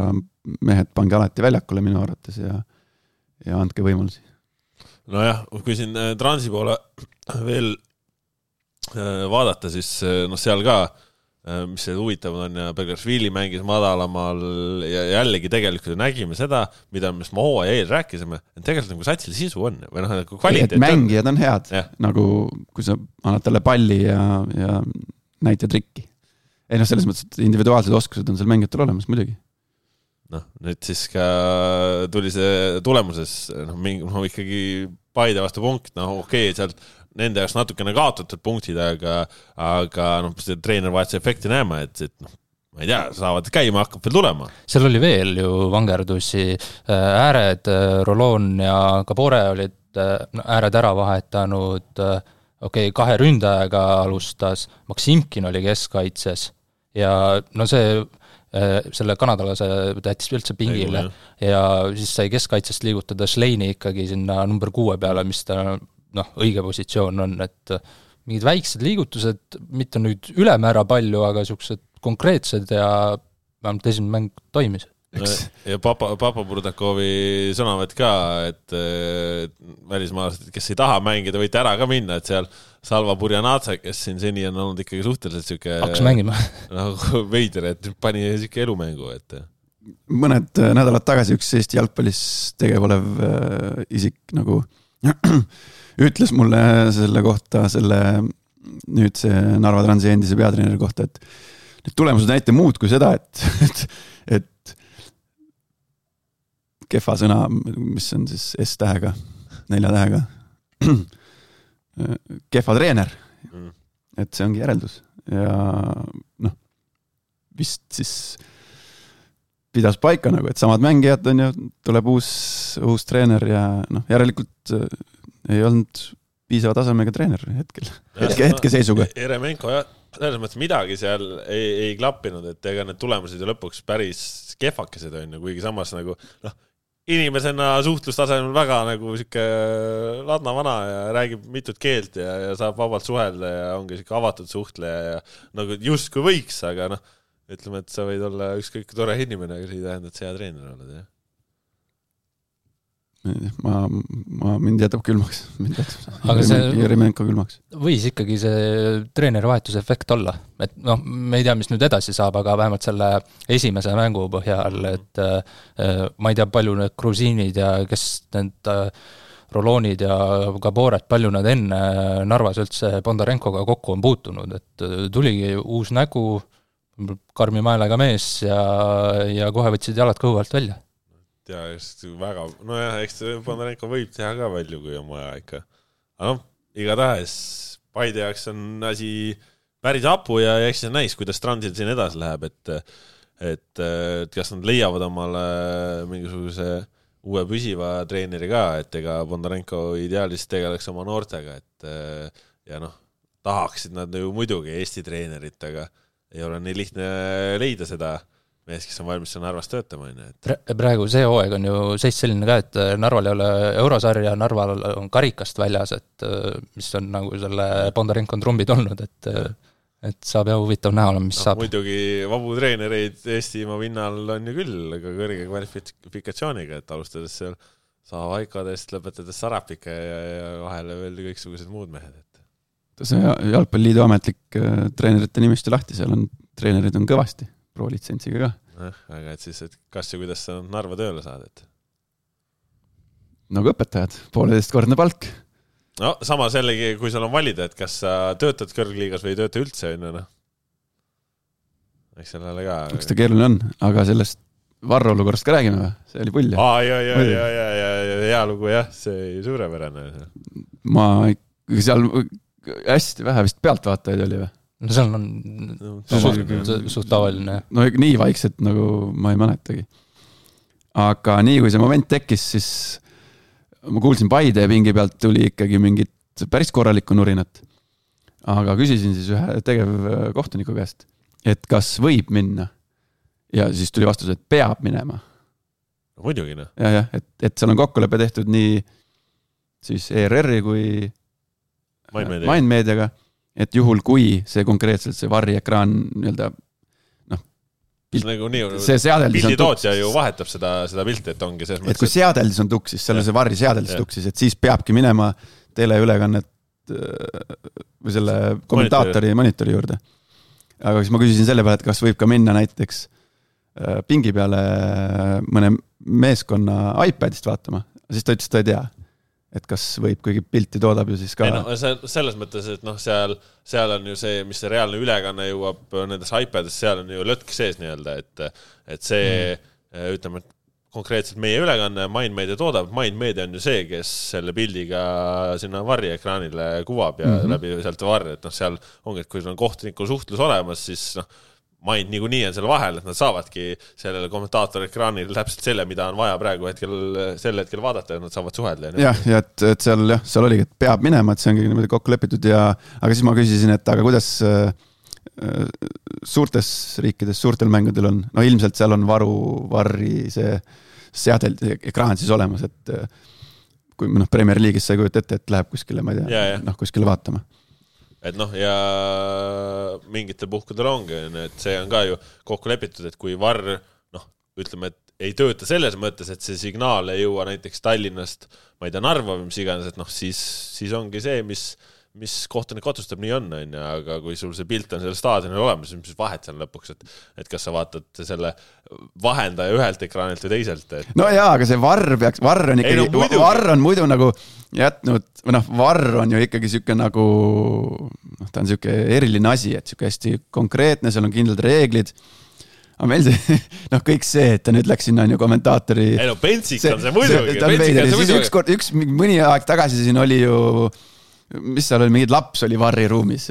mehed pange alati väljakule minu arvates ja andke võimalusi. Nojah, kui siin Transi poole veel vaadata, siis seal ka, mis see huvitav on ja Belgrashvili mängis madalamal ja jällegi tegelikult nägime seda, mida me hooa eel rääkisime, et tegelikult nagu satsil sisu on või nagu kvaliteet on. Mängijad on head, nagu kui sa annad talle palli ja näita trikki. Ei selles mõttes, et individuaalsed oskused on seal mängijatel olemas muidugi. Nüüd siis ka tuli see tulemuses ikkagi Paide vastu punkt, sealt nende jaoks natukene kaotatud punktid, aga see treenervahetuse efekti näeme, et ma ei tea, saavad käima, hakkab veel tulema. Seal oli veel ju vangerdusi, ääred, Rolon ja Kabore olid ääred ära vahetanud, 2 ründajaga alustas, Maksimkin oli keskkaitses ja see selle kanadalase tähtis üldse pingile ja siis sai keskkaitsest liigutada Schleini ikkagi sinna number 6 peale, mis ta õige positsioon on, et mingid väiksed liigutused, mitte nüüd ülemäära palju, aga siuksed konkreetsed ja vähemalt esimene mäng toimis. ja Papa Burdakovi sõnavõtt ka, et välismaalased, kes ei taha mängida, võite ära ka minna, et seal Salva Burjanatsa, kes siin seni on olnud ikkagi suhteliselt siuke hakkas mängima nagu veider, et pani siuke elumängu, et mõned nädalad tagasi üks Eesti jalgpallis tegev olev isik nagu ütles mulle selle kohta, nüüd see Narva Transi endise peatreeneri kohta, et need tulemused näite muud kui seda, et kehva sõna, mis on siis S-tähega, 4 tähega, kehva treener, et see ongi järeldus ja noh, vist siis pidas paika nagu, et samad mängijad on ju, tuleb uus treener ja noh, järelikult ei olnud piisava tasemega treener hetke seisuga. Eremenko jah, selles mõttes midagi seal ei klappinud, et ega need tulemused ju lõpuks päris kehvakesed on ju, kuigi samas nagu noh, inimesena suhtlustasemel väga nagu siuke ladna vana ja räägib mitut keelt ja saab vabalt suhelda ja ongi siuke avatud suhtleja ja nagu just kui võiks, aga noh, ütleme, et sa võid olla ükskõik tore inimene, aga see ei tähenda, et sa hea treener oled, jah? Mind jätab külmaks. Aga see Jeremenko külmaks. Võis ikkagi see treenerivahetuse efekt olla. Et noh, me ei tea, mis nüüd edasi saab, aga vähemalt selle esimese mängu põhjal, et ma ei tea, palju need grusiinid ja kes need Roloonid ja Gaboret, palju nad enne Narvas üldse Bondarenkoga kokku on puutunud, et tuligi uus nägu, karmi maelega mees ja kohe võtsid jalad kõhu alt välja. Ja just väga, nojah, eks Bondarenko võib teha ka palju, kui on vaja ikka. Aga noh, igatahes Paide jaoks on asi päris apu ja eks see näis, kuidas Transil siin edasi läheb, et kas nad leiavad omale mingisuguse uue püsiva treeneri ka, et ega Bondarenko ideaalis tegeleks oma noortega, et ja noh, tahaksid nad ju muidugi Eesti treenerit, aga ei ole nii lihtne leida seda mees, kes on valmis Narvas töötama. Praegu see hooaeg on ju seis selline ka, et Narval ei ole eurosarja, Narval on karikast väljas, et mis on nagu selle Bondarenko trumbid olnud, et saab jah huvitav näha olema, mis saab. Muidugi vabu treenereid Eestimaa pinnal on ju küll, aga kõrge kvalifikatsiooniga, et alustades seal Saavaikadest, lõpetades Sarapika ja vahele veel kõiksugused muud mehed. See Jalgpalliliidu ametlik treenerite nimistu lahti, seal on treenerid on kõvasti, pro-litsentsiga ka. Aga et siis, et kas ja kuidas sa Narva tööle saad? Nagu õpetajad, 1,5-kordne palk. No samas jällegi, kui sul on valida, et kas sa töötad kõrgliigas või ei tööta üldse, no. Eks sellele ka. Eks ta keeruline on, aga sellest Varro olukorrast ka räägime või? See oli pull. Hea lugu jah, see suurepärane. Ma seal hästi vähe vist pealtvaatajaid oli või? No seal on suht tavaline. No nii vaikselt nagu ma ei mäletagi. Aga nii kui see moment tekkis, siis ma kuulsin Paide pingi pealt tuli ikkagi mingit päris korralikku nurinat. Aga küsisin siis ühe tegev kohtuniku käest, et kas võib minna. Ja siis tuli vastus, et peab minema. No, muidugi, no. Ja, et seal on kokkulepe tehtud nii siis ERR-i kui Mindmediaga, et juhul kui see konkreetselt see varriekraan nii-öelda see seadeldis on pilditootja ju vahetab seda pilti, et ongi selles mõttes. Et kui seadeldis on tuksis, selle see varri seadeldis tuksis, et siis peabki minema teleülekannet või selle kommentaatori monitori juurde. Aga siis ma küsisin selle peale, et kas võib ka minna näiteks pingi peale mõne meeskonna iPadist vaatama. Siis ta ütles, ta ei tea. Et kas võib, kuigi pilti toodab ju siis ka... selles mõttes, et seal on ju see, mis see reaalne ülekanne jõuab nendes iPadis, seal on ju lõtk sees nii-öelda, et see, ütleme, et konkreetselt meie ülekanne Mindmedia toodab, Mindmedia on ju see, kes selle pildiga sinna varriekraanile kuvab ja läbi sealt varri, et seal ongi, et kui sul on kohtuniku suhtlus olemas, siis Mind niikuinii on selle vahel, et nad saavadki sellele kommentaatori ekraanil täpselt selle, mida on vaja praegu sel hetkel vaadata, et nad saavad suhelda. Ja et seal oligi, et peab minema, et see ongi niimoodi kokku lepitud aga siis ma küsisin, et aga kuidas suurtes riikides, suurtel mängudel on, no ilmselt seal on varri see seadel ekraan siis olemas, et kui Premier League'is sa ei kujuta ette, et läheb kuskile, ma ei tea, kuskile vaatama. Et ja mingitel puhkudel ongi, et see on ka ju kokku lepitud, et kui varr, ütleme, et ei tööta selles mõttes, et see signaal ei jõua näiteks Tallinnast, ma ei tea, Narva või mis iganes, et siis ongi see, mis kohtunik otsustab, nii on, aga kui sul see pilt on sellel staadionil olemas, mis vahet seal lõpuks, et kas sa vaatad selle vahendaja ühelt ekraanilt või teiselt. No jaa, aga see varr on ikkagi, varr on muidu nagu jätnud, või varr on ju ikkagi siuke nagu, ta on siuke eriline asi, et siuke hästi konkreetne, seal on kindlad reeglid. Aga meil see, kõik see, et ta nüüd läks sinna on ju kommentaatori... Ei no, Pentsik on see muidugi. Mõni aeg tagasi siin oli ju, mis seal oli, mingid laps oli varri ruumis.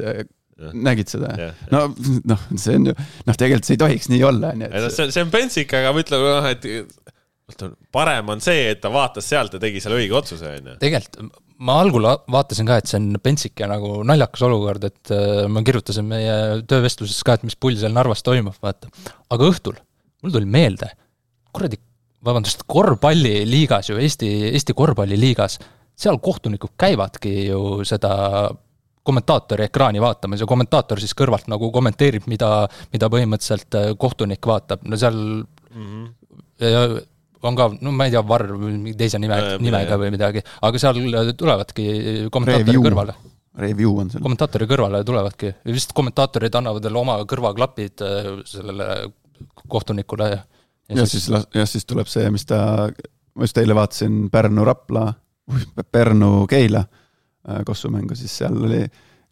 Nägid seda? See on ju, tegelikult see ei tohiks nii olla. See on Pentsik, aga ma ütlen, et parem on see, et ta vaatas sealt ja tegi seal õige otsuse. Tegelikult ma algul vaatasin ka, et see on Pentsike nagu naljakas olukord, et ma kirjutasin meie töövestluses ka, et mis pull seal Narvas toimub, vaata. Aga õhtul mul tuli meelde, korvpalliliigas ju, Eesti korvpalliliigas, seal kohtunikud käivadki ju seda kommentaatori ekraani vaatamas ja kommentaator siis kõrvalt nagu kommenteerib, mida põhimõtteliselt kohtunik vaatab. No seal on ka, ma ei tea, varr või teise nimega või midagi, aga seal tulevadki kommentaatori kõrvale. Review on seal. Kommentaatori kõrvale tulevadki. Vist kommentaatorid annavad oma kõrvaklapid sellele kohtunikule. Ja siis tuleb see, mis ma just eile vaatasin Pärnu Keila kossumängu, siis seal oli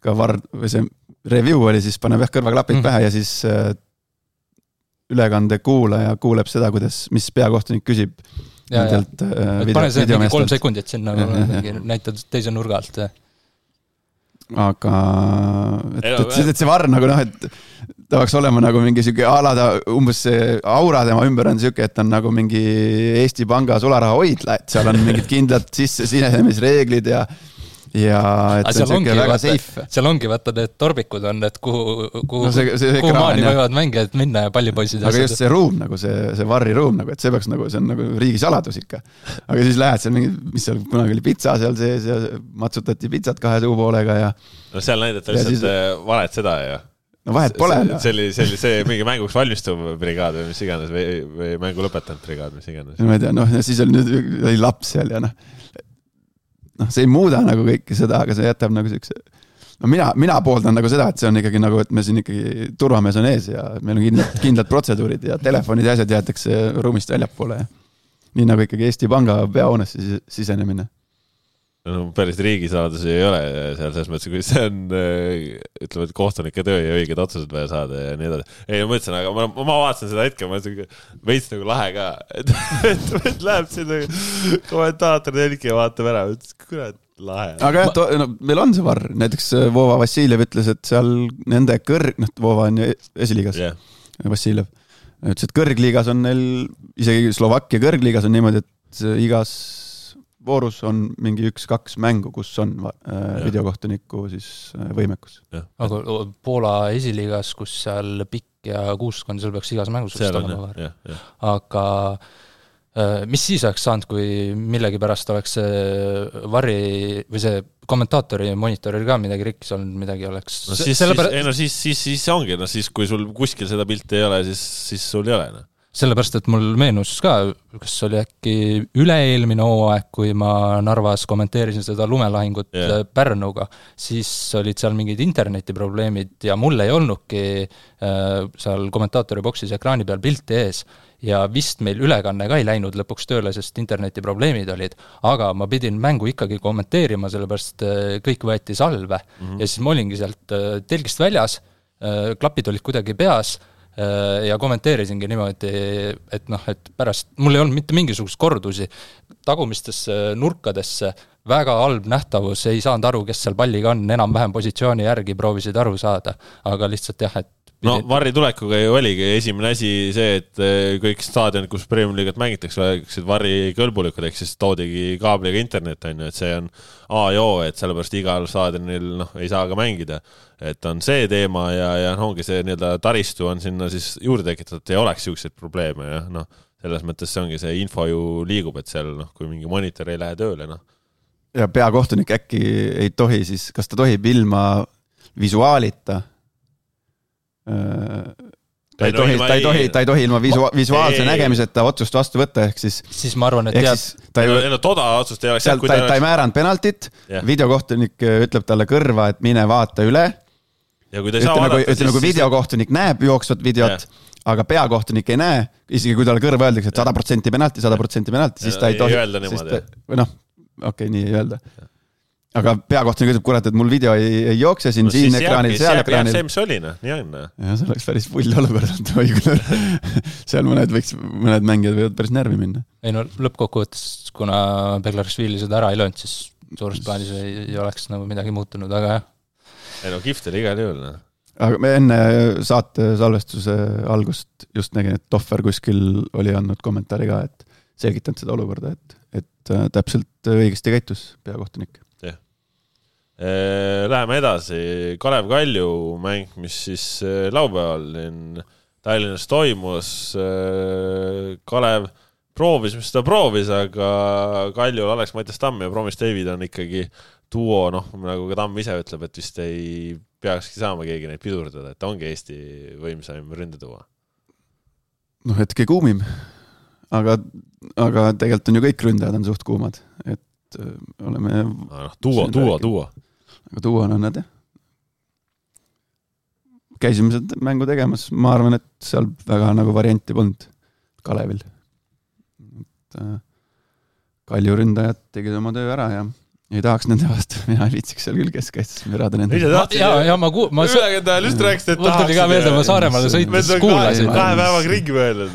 ka varr, või see review oli, siis paneb kõrvaklapid pähe ja siis ülekande kuulaja kuuleb seda, mis peakohtunik küsib. Pane see 3 sekundit sinna, näitad teise nurga alt. Aga et see varr nagu et ta võiks olema nagu mingi siuke alada, umbes see aura tema ümber on siuke, et on nagu mingi Eesti Panga sularaha hoidla, et seal on mingid kindlad sisse sinenemisreeglid ja et see on siuke väga safe. Seal ongi vaata need torbikud on, et kuhu maani võivad mängijad minna ja pallipoisid. Aga just see ruum, nagu see varri ruum, nagu, et see peaks nagu, see on nagu riigisaladus ikka. Aga siis lähed seal mingi, mis seal kunagi oli pitsa seal sees ja matsutati pitsat 2 suupoolega ja... No seal näidata lihtsalt valet seda ja... No vahet pole. See mingi mänguks valmistuv brigaad või mis iganes või mängu lõpetanud brigaad, mis iganes. Ma ei tea, ja siis oli laps seal ja see ei muuda nagu kõike seda, aga see jätab nagu siukse... mina pooldan nagu seda, et see on ikkagi nagu, et me siin ikkagi turvamees on ees ja meil on kindlad protseduurid ja telefonid ja asjad jäetakse ruumist väljapoole. Nii nagu ikkagi Eesti Panga peahoonesse sisenemine. No, päris riigisaladus ei ole seal selles mõttes, kui see on, ütleme, et kohtunike töö ja õiged otsused vaja saada ja nii edasi. Ei, ma mõtlesin, aga ma vaatasin seda hetke, ma veits nagu lahe ka, et läheb sinna kommentaator telki ja vaatab ära, kurat, lahe. Aga meil on see varr, näiteks Vova Vassiljev ütles, et seal nende Vova on ju esiliigas, Vassiljev, ütles, et kõrgliigas on neil, isegi Slovakkia kõrgliigas on niimoodi, et igas voorus on mingi 1-2 mängu, kus on videokohtuniku siis võimekus. Aga Poola esiliigas, kus seal pikk ja kuuskond, seal peaks igas mängus olema var. Aga mis siis oleks saanud, kui millegi pärast oleks varri või see kommentaatori monitoril ka midagi rikkis olnud, midagi oleks... Siis ongi, siis kui sul kuskil seda pilti ei ole, siis sul ei ole. Sellepärast, et mul meenus ka, kas oli äkki üle-eelmine hooaeg, kui ma Narvas kommenteerisin seda lumelahingut Pärnuga, siis olid seal mingid internetiprobleemid ja mul ei olnudki seal kommentaatori boksis ekraani peal pilti ees ja vist meil ülekanne ka ei läinud lõpuks tööle, sest internetiprobleemid olid, aga ma pidin mängu ikkagi kommenteerima, sellepärast kõik võeti salve ja siis ma olingi sealt telgist väljas, klapid olid kuidagi peas ja kommenteerisingi niimoodi, et pärast, mul ei olnud mitte mingisugust kordusi, tagumistesse nurkadesse, väga halb nähtavus, ei saanud aru, kes seal palliga on, enam-vähem positsiooni järgi proovisid aru saada, aga lihtsalt jah, et No varri tulekuga ju oligi esimene asi see, et kõik staadionid, kus Premium Liigat mängitakse, oleksid varri kõlbulikud, ehk siis toodigi kaabliga internet, et see on A ja O, et sellepärast igal staadionil ei saa ka mängida. Et on see teema ja ongi see nii-öelda taristu on sinna siis juurde tekitatud, et ei oleks siukseid probleeme ja selles mõttes see ongi see info ju liigub, et seal kui mingi monitor ei lähe tööle. Ja peakohtunik äkki ei tohi siis, kas ta tohib ilma visuaalita ta ei tohi ilma visuaalse nägemiseta otsust vastu võtta, ehk siis ma arvan, et toda otsust ei oleks. Ta ei määranud penaltit, videokohtunik ütleb talle kõrva, et mine vaata üle. Ja kui ta ei saa vaadata, ütleme, kui videokohtunik näeb jooksvat videot, aga peakohtunik ei näe, isegi kui talle kõrva öeldakse, et 100% penalti, siis ta ei tohi. Või noh, okei, nii ei öelda. Aga peakohtunik ütleb, kurat, et mul video ei jookse siin ekraanil, seal ekraanil. See, mis oli, nii on. Ja see oleks päris pull olukord. Seal mõned mängijad võivad päris närvi minna. Ei no lõppkokkuvõttes, kuna Beglarishvili seda ära ei löönud, siis suures plaanis ei oleks nagu midagi muutunud, aga jah. Ei no kift oli igal juhul. Aga me enne saate salvestuse algust just nägin, et Tohver kuskil oli andnud kommentaari ka, et selgitanud seda olukorda, et täpselt õigesti käitus peakohtunik. Läheme edasi. Kalev Kalju mäng, mis siis laupäeval Tallinnas toimus. Kalev proovis, mis ta proovis, aga Kaljul Alex Mattias Tamm ja Promis David on ikkagi duo, nagu ka Tamm ise ütleb, et vist ei peakski saama keegi neid pidurdada, et ongi Eesti võimsaim ründetuua. Hetke kuumim, aga tegelikult on ju kõik ründajad on suht kuumad, et oleme... Duo. Aga tuua on nad, jah. Käisime seda mängu tegemas, ma arvan, et seal väga nagu varianti polnud Kalevil. Kalju ründajad tegid oma töö ära ja ei tahaks nende vastu, mina ei viitsiks seal küll keskkaitstes mürada nende. Ma ülegendajal just rääkisid, et tahaks. Mul tuli ka meelde, ma Saaremaale sõites kuulasin. 2 päevaga ringi mõelnud.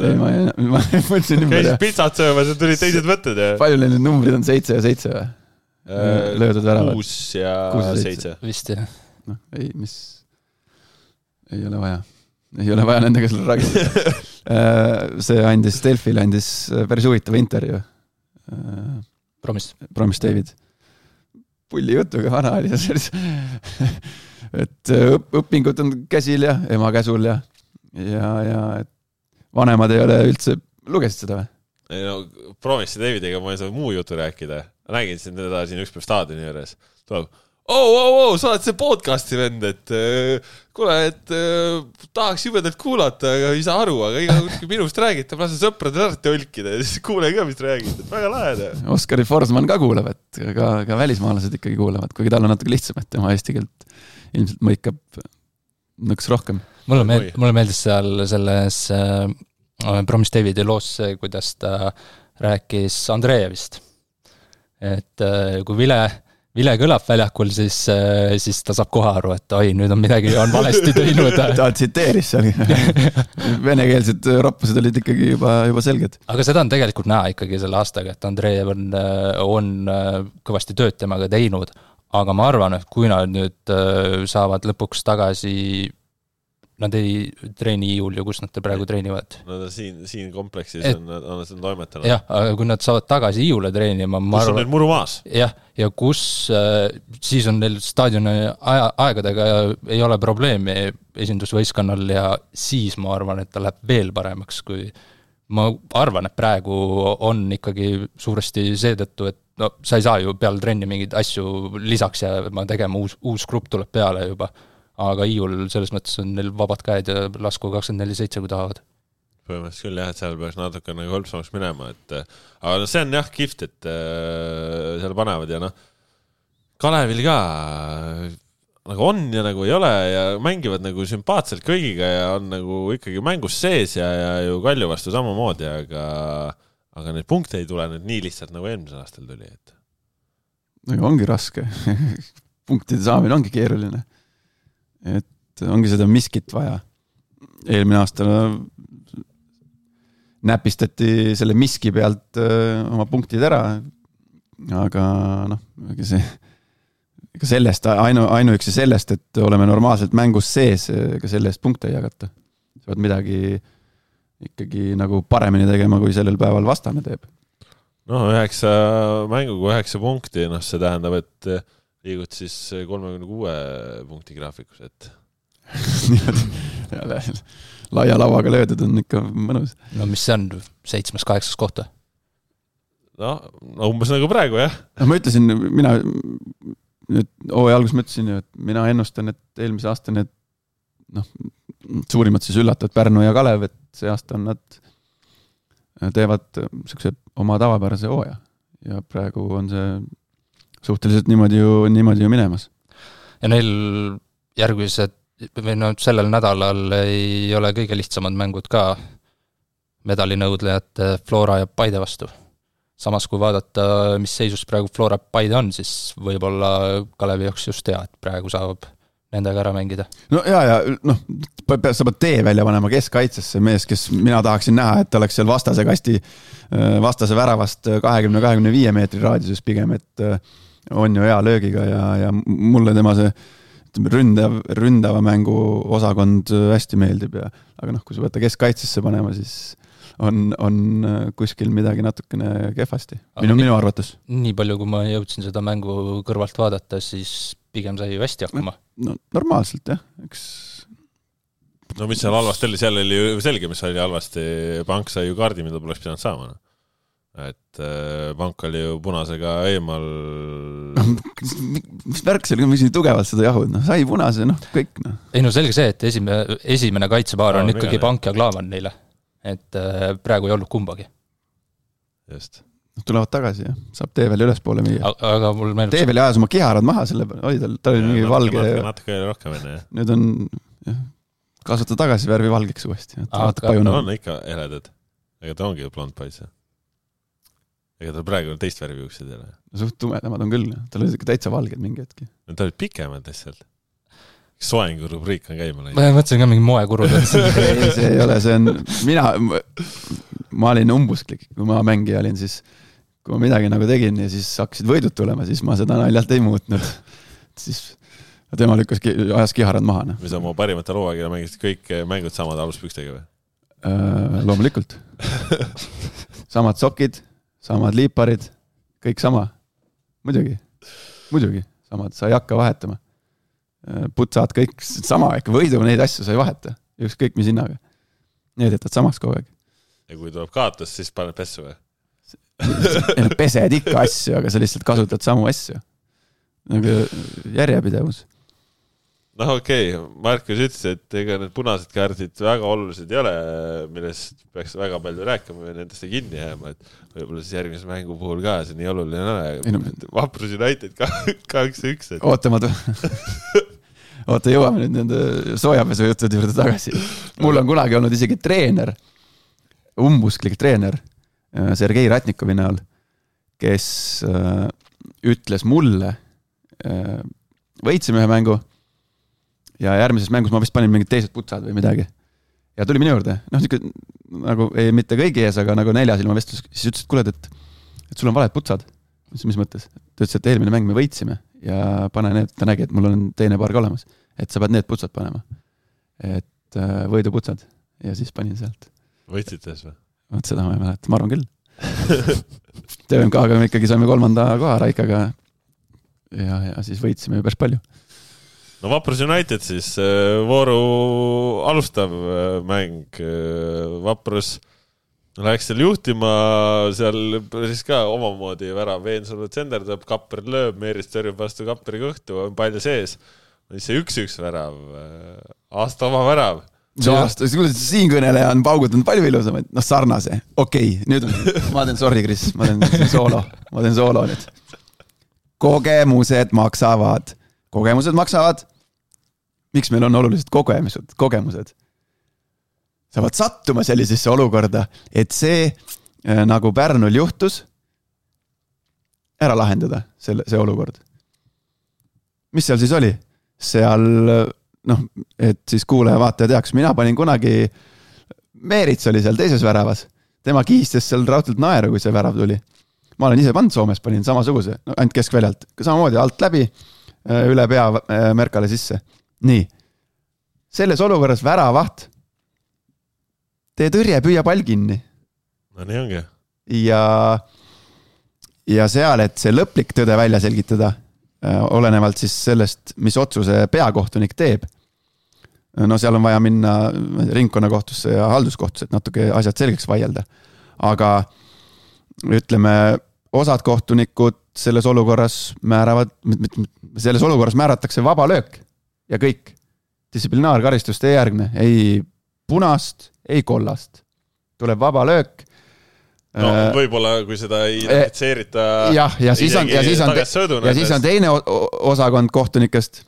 Ma mõtlesin ümber. Käisid pitsat söömas ja tulid teised võtted. Palju need numbrid on 7 ja 7 või? Löödud väravad. 6 ja 7. Vist jah. Ei, mis ei ole vaja. Ei ole vaja nendega selle rääkida. See andis Delfile päris huvitava intervjuu. Promis David. Pulli jutuga vana oli et õpingud on käsil ja ema käsul ja et vanemad ei ole üldse lugesid seda või? Ei no, Promis Davidiga ma ei saa muu jutu rääkida. Nägin siin teda siin üks päev staadioni juures. Tuleb, sa oled see podcasti vend, et kuule, et tahaks jubedalt kuulata, aga ei saa aru, aga iga minust räägid, ta lase sõpradel ära tõlkida ja siis kuule ka, mis räägid, et väga lahe. Oskari Forsman ka kuuleb, et ka välismaalased ikkagi kuulevad, kuigi tal on natuke lihtsam, et tema eesti keelt ilmselt mõikab nõks rohkem. Mulle meeldis seal selles Promis Davidi loos see, kuidas ta rääkis Andreevist. Et kui Vile kõlab väljakul, siis ta saab kohe aru, et oi, nüüd on midagi valesti teinud. Ta tsiteeris seal. Venekeelsed roppused olid ikkagi juba selged. Aga seda on tegelikult näha ikkagi selle aastaga, et Andreev on kõvasti tööd temaga teinud. Aga ma arvan, et kui nad nüüd saavad lõpuks tagasi, nad ei treeni Iiul ju, kus nad praegu treenivad. No siin kompleksis on toimetanud. Jah, aga kui nad saavad tagasi Iiule treenima, ma arvan... Kus on neil muru maas? Jah, ja kus siis on neil staadioni aegadega ei ole probleemi esindusvõistkonnal ja siis ma arvan, et ta läheb veel paremaks, kui ma arvan, et praegu on ikkagi suuresti seetõttu, et sa ei saa ju peale trenni mingeid asju lisaks ja ma tegema uus grupp tuleb peale juba. Aga Iiul selles mõttes on neil vabad käed ja lasku 24/7, kui tahavad. Põhimõtteliselt küll jah, et seal peaks natuke nagu hõlpsamaks minema, aga see on jah kift, et seal panevad ja Kalevil ka nagu on ja nagu ei ole ja mängivad nagu sümpaatselt kõigiga ja on nagu ikkagi mängus sees ja ju Kalju vastu samamoodi, aga need punkte ei tule nüüd nii lihtsalt nagu eelmisel aastal tuli. Ongi raske. Punktide saamine ongi keeruline. Et ongi seda miskit vaja. Eelmine aasta näpistati selle miski pealt oma punktid ära, aga ega sellest, ainuüksi sellest, et oleme normaalselt mängus sees, ega selle eest punkte ei jagata. Sa pead midagi ikkagi nagu paremini tegema, kui sellel päeval vastane teeb. 9 mänguga 9 punkti, see tähendab, et liigud siis 36 punkti graafikus, et laia lavaga löödud on ikka mõnus. Mis see on? 7-8 kohta? Umbes nagu praegu, jah. Ma ütlesin, mina nüüd alguses mõtlesin ju, et mina ennustan, et eelmise aasta need suurimad siis üllatavad Pärnu ja Kalev, et see aasta nad teevad siukse oma tavapärase hooaja ja praegu on see suhteliselt niimoodi ju minemas. Ja neil järgmised või sellel nädalal ei ole kõige lihtsamad mängud ka medalinõudlejad Flora ja Paide vastu. Samas kui vaadata, mis seisus praegu Flora Paide on, siis võib-olla Kalevi jaoks just hea, et praegu saab nendega ära mängida. No ja sa pead tee välja panema keskkaitsesse mees, kes mina tahaksin näha, et oleks seal vastase väravast 20-25 meetri raadiuses pigem, et on ju hea löögiga ja mulle tema see ründava mängu osakond hästi meeldib aga kui sa võtta keskkaitsesse panema, siis on kuskil midagi natukene kehvasti, minu arvates. Nii palju, kui ma jõudsin seda mängu kõrvalt vaadata, siis pigem sai ju hästi hakkama. No normaalselt, jah. No mis seal halvasti oli, seal oli ju selge, mis oli halvasti. Pank sai ju kaardi, mida poleks pidanud saama. Et Pank oli ju punasega eemal. Mis värk see oli, mis nii tugevalt seda jahud? Sai punase, kõik. Ei selge see, et esimene kaitsepaar on ikkagi Pank ja Klaavan neile. Et praegu ei olnud kumbagi. Just. Tulevad tagasi ja saab teevel üles poole müüa. Aga mul meenub... Teevel ajas oma kiharad maha, selle oli ta oli mingi valge. Natuke rohkem enne. Nüüd on kasvata tagasi värvi valgeks uuesti. On ikka eledad. Ega ta ongi blond pais. Ega ta praegu teist värvi juuksed ei ole. Suht tumedamad on küll. Tal oli täitsa valged mingi hetki. Ta olid pikemad lihtsalt. Soengu rubriik on käima läinud. Ma mõtlesin ka mingi moekurud. See ei ole, see on... Ma olin umbusklik, kui ma mängija olin, siis kui ma midagi nagu tegin ja siis hakkasid võidud tulema, siis ma seda naljalt ei muutnud. Siis tema ajas kiharad maha. Mis on mu parimate looagira mängisid kõik mängud samad aluspükstega või? Loomulikult. Samad sokid, samad liiparid, kõik sama. Muidugi. Samad, sa ei hakka vahetama. Putsad kõik sama, ikka võidu neid asju sa ei vaheta. Ükskõik mis hinnaga. Need jätad samaks kogu aeg. Ja kui tuleb kaotus, siis paned pessu või? Pesed ikka asju, aga sa lihtsalt kasutad samu asju. Nagu järjepidevus. Okei. Markus ütles, et ega need punased kaardid väga olulised ei ole, millest peaks väga palju rääkima või nendest ei kinni jääma, et võib-olla siis järgmise mängu puhul ka see nii oluline ole. Vaprus United 2-1. Oota, jõuame nüüd nende soojapesu jutud juurde tagasi. Mul on kunagi olnud isegi treener, umbusklik treener, Sergei Ratnikovi näol, kes ütles mulle, võitsime ühe mängu ja järgmises mängus ma vist panin mingid teised putsad või midagi. Ja tuli minu juurde. Nagu ei mitte kõigi ees, aga nagu 4 silma vestlus. Siis ütles, et kuuled, et sul on valed putsad. Mis mõttes? Ta ütles, et eelmine mäng me võitsime ja pane need, ta nägi, et mul on teine paar ka olemas. Et sa pead need putsad panema. Et võidu putsad. Ja siis panin sealt. Võitsites või? Võt seda ma ei mäleta, ma arvan küll. TVMK-ga me ikkagi saime 3. koha Raikaga ja siis võitsime päris palju. No Vaprus United siis vooru alustav mäng. Vaprus läks seal juhtima, seal siis ka omamoodi värav Veensalu tsenderdab, Kapper lööb, Meeris tõrjub vastu Kapperi kõhtu, on palju sees. See 1-1 värav, aasta oma värav. Siin kõneleja on paugutanud palju ilusamaid, sarnase. Okei, nüüd ma teen sorry, Chris, ma teen soolo nüüd. Kogemused maksavad. Miks meil on olulised kogemused? Sa pead sattuma sellisesse olukorda, et see, nagu Pärnul juhtus, ära lahendada see olukord. Mis seal siis oli? Seal, et siis kuulaja vaataja teaks, mina panin kunagi, Meerits oli seal teises väravas, tema kiistes seal raudselt naeru, kui see värav tuli. Ma olen ise pannud Soomes, panin samasuguse, ainult keskväljalt, samamoodi alt läbi, üle pea Merkale sisse. Nii, selles olukorras väravaht, tee tõrje, püüa pall kinni. No nii ongi. Ja seal, et see lõplik tõde välja selgitada, olenevalt siis sellest, mis otsuse peakohtunik teeb. No seal on vaja minna ringkonnakohtusse ja halduskohtusse, et natuke asjad selgeks vaielda. Aga ütleme, osad kohtunikud selles olukorras määratakse vaba löök ja kõik. distsiplinaarkaristust ei järgne, ei punast, ei kollast. Tuleb vaba löök. No võib-olla, kui seda ei identifitseerita ja siis on teine osakond kohtunikest,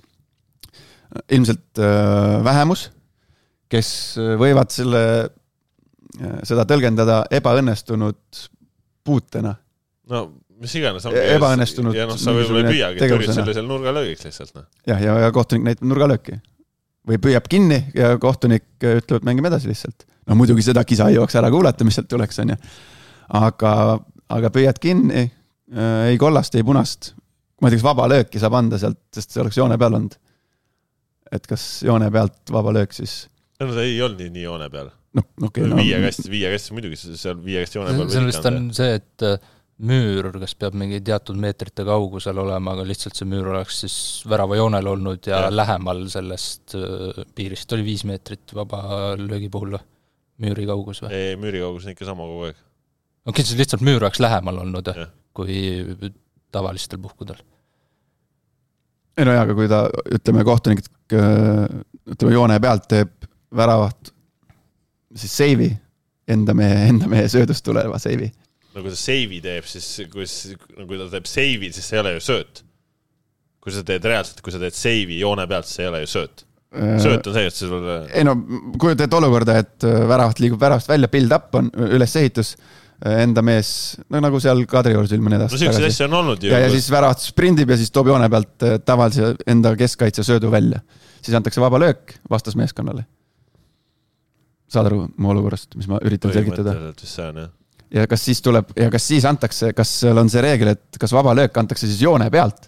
ilmselt vähemus, kes võivad seda tõlgendada ebaõnnestunud puutena. No, mis iganes on ebaõnnestunud ja sa võib-olla ei püüagi, et ürid sellisel nurgalöögiks lihtsalt. Ja kohtunik näitab nurgalööki. Või püüab kinni ja kohtunik ütleb, et mängime edasi lihtsalt. No muidugi seda kisa ei jooks ära kuulata, mis sealt tuleks, on ju. Aga püüad kinni, ei kollast, ei punast. Ma ei tea, kas vaba lööki saab anda sealt, sest see oleks joone peal olnud. Et kas joone pealt vaba löök siis... No ta ei olnud nii joone peal. Okay, viie kasti muidugi, seal viie kasti joone peal. See vist on see, et müür, kas peab mingi teatud meetrite kaugusel olema, aga lihtsalt see müür oleks siis värava joonel olnud ja lähemal sellest piirist. Oli 5 meetrit vaba löögi puhul müüri kaugus või? Ei, müüri kaugus on ikka sama kogu aeg. Okei, siis lihtsalt müür oleks lähemal olnud kui tavalistel puhkudel. Ei no aga kui ta, ütleme, kohtunik joone pealt teeb väravat siis seivi, enda mehe söödust tuleva seivi. No kui ta seivi teeb, siis kui ta teeb seivi, siis see ei ole ju sööt. Kui sa teed reaalselt, kui sa teed seivi joone pealt, see ei ole ju sööt. Sööt on see, et see sul... Ei no, kui teed olukorda, et väravat liigub väravast välja, build up on ülesehitus, enda mees, nagu seal Kadriorus ilmane edasi. No sellised asja on olnud ju. Ja siis väravat sprindib ja siis toob joone pealt tavalise enda keskkaitse söödu välja. Siis antakse vaba löök vastas meeskonnale. Saad aru mu olukorrast, mis ma üritan selgitada. Ja kas siis antakse, kas seal on see reegel, et kas vaba löök antakse siis joone pealt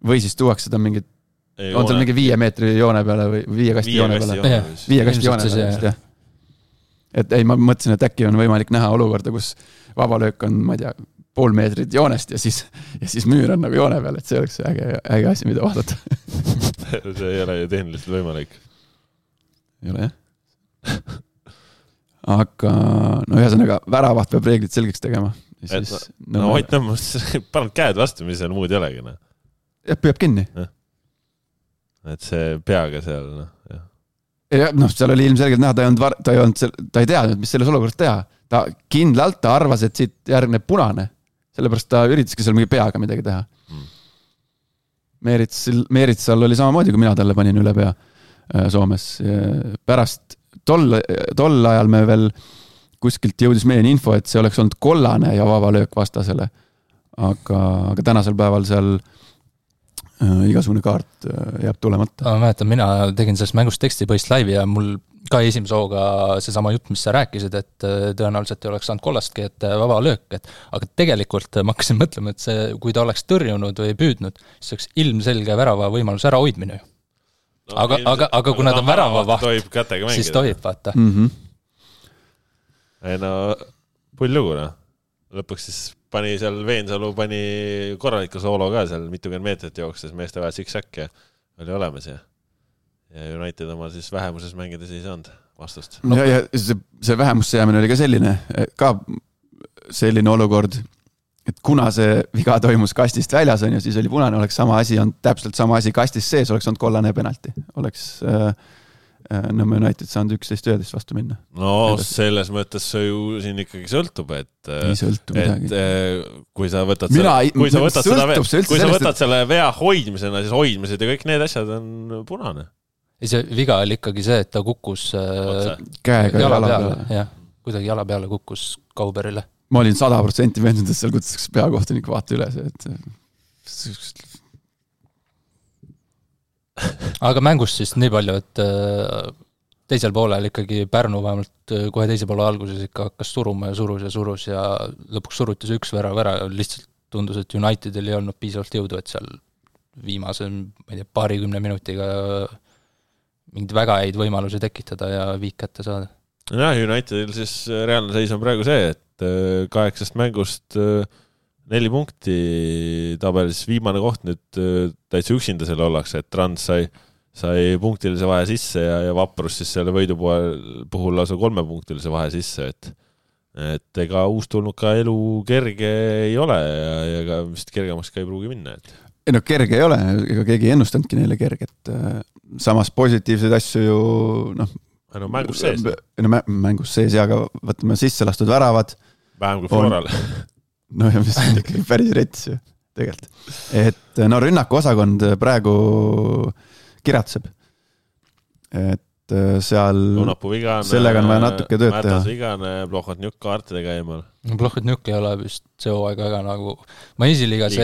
või siis tuuakse seda mingit, on seal mingi 5 meetri joone peale või 5 kasti joone peale? 5 kasti joone peale, jah. Et ei, ma mõtlesin, et äkki on võimalik näha olukorda, kus vaba löök on, ma ei tea, 0,5 meetrit joonest ja siis müür on nagu joone peal, et see oleks äge asi, mida vaadata. See ei ole ju tehniliselt võimalik. Ei ole, jah. Aga no ühesõnaga väravaht peab reeglid selgeks tegema. No hoid pannud käed vastu, mis seal muud ei olegi. Jah, püüab kinni. Et see peaga seal, Ja, seal oli ilmselgelt näha, ta ei teadnud, mis selles olukorras teha. Ta kindlalt arvas, et siit järgneb punane. Sellepärast ta üritaski seal mingi peaga midagi teha. Meeritsal oli samamoodi, kui mina talle panin üle pea Soomes. Pärast tol ajal me veel kuskilt jõudis meieni info, et see oleks olnud kollane ja vaba löök vastasele. Aga tänasel päeval seal igasugune kaart jääb tulemata. Ma mäletan, mina tegin sellest mängust tekstipõhist laivi ja mul ka esimese hooga seesama jutt, mis sa rääkisid, et tõenäoliselt ei oleks saanud kollastki, et vaba löök. Aga tegelikult ma hakkasin mõtlema, et see, kui ta oleks tõrjunud või püüdnud, siis oleks ilmselge värava võimalus ära hoidmine ju. Aga kui nad on värava vaht, siis tohib, vaata. Ei no, pull lugu, lõpuks siis pani seal Veensalu pani korraliku soolo ka seal mitukümmend meetrit jookses meeste vaja sik-säk ja oli olemas ja United oma siis vähemuses mängides ei saanud vastust. Ja see vähemusse jäämine oli ka selline olukord, et kuna see viga toimus kastist väljas on ja siis oli punane, oleks sama asi, on täpselt sama asi kastis sees, oleks olnud kollane penalti. Oleks Nõmme United saanud 11-11 vastu minna. No selles mõttes see ju siin ikkagi sõltub, et kui sa võtad selle vea hoidmisena, siis hoidmised ja kõik need asjad on punane. See viga oli ikkagi see, et ta kukkus käega jala peale. Jah, kuidagi jala peale kukkus Kauberile. Ma olin 100% veendunud, et seal kutsuks peakohtunik vaata üles, et aga mängust siis nii palju, et teisel poolel ikkagi Pärnu vähemalt kohe teise poole alguses ikka hakkas suruma ja surus ja lõpuks surutis üks vära, lihtsalt tundus, et Unitedil ei olnud piisavalt jõudu, et seal viimase, ma ei tea, 20 minutiga mingid väga häid võimalusi tekitada ja viik kätte saada. Ja, Unitedil siis reaalne seis on praegu see, et 8 mängust 4 punkti tabelis viimane koht nüüd täitsa üksinda selle ollakse, et Trans sai punktilise vahe sisse ja Vaprus siis selle võidu puhul lausa 3 punktilise vahe sisse, et ega uustulnud ka elu kerge ei ole ja ka vist kergemaks ka ei pruugi minna. ei no kerge ei ole, ega keegi ei ennustanudki neile kerget. Samas positiivseid asju ju no mängus sees. Mängus sees ja aga võtame sisse lastud väravad. Vähem kui Floral. No ja mis on ikkagi päris rets ju tegelikult. Et no rünnaku osakond praegu kiratseb. Et seal vigane, sellega on vaja natuke tööd teha. Mätas vigane, Plohhotnjuk kaartidega eemal. Plohhotnjuk ei ole vist see hooaeg väga nagu... Ma esiliigas...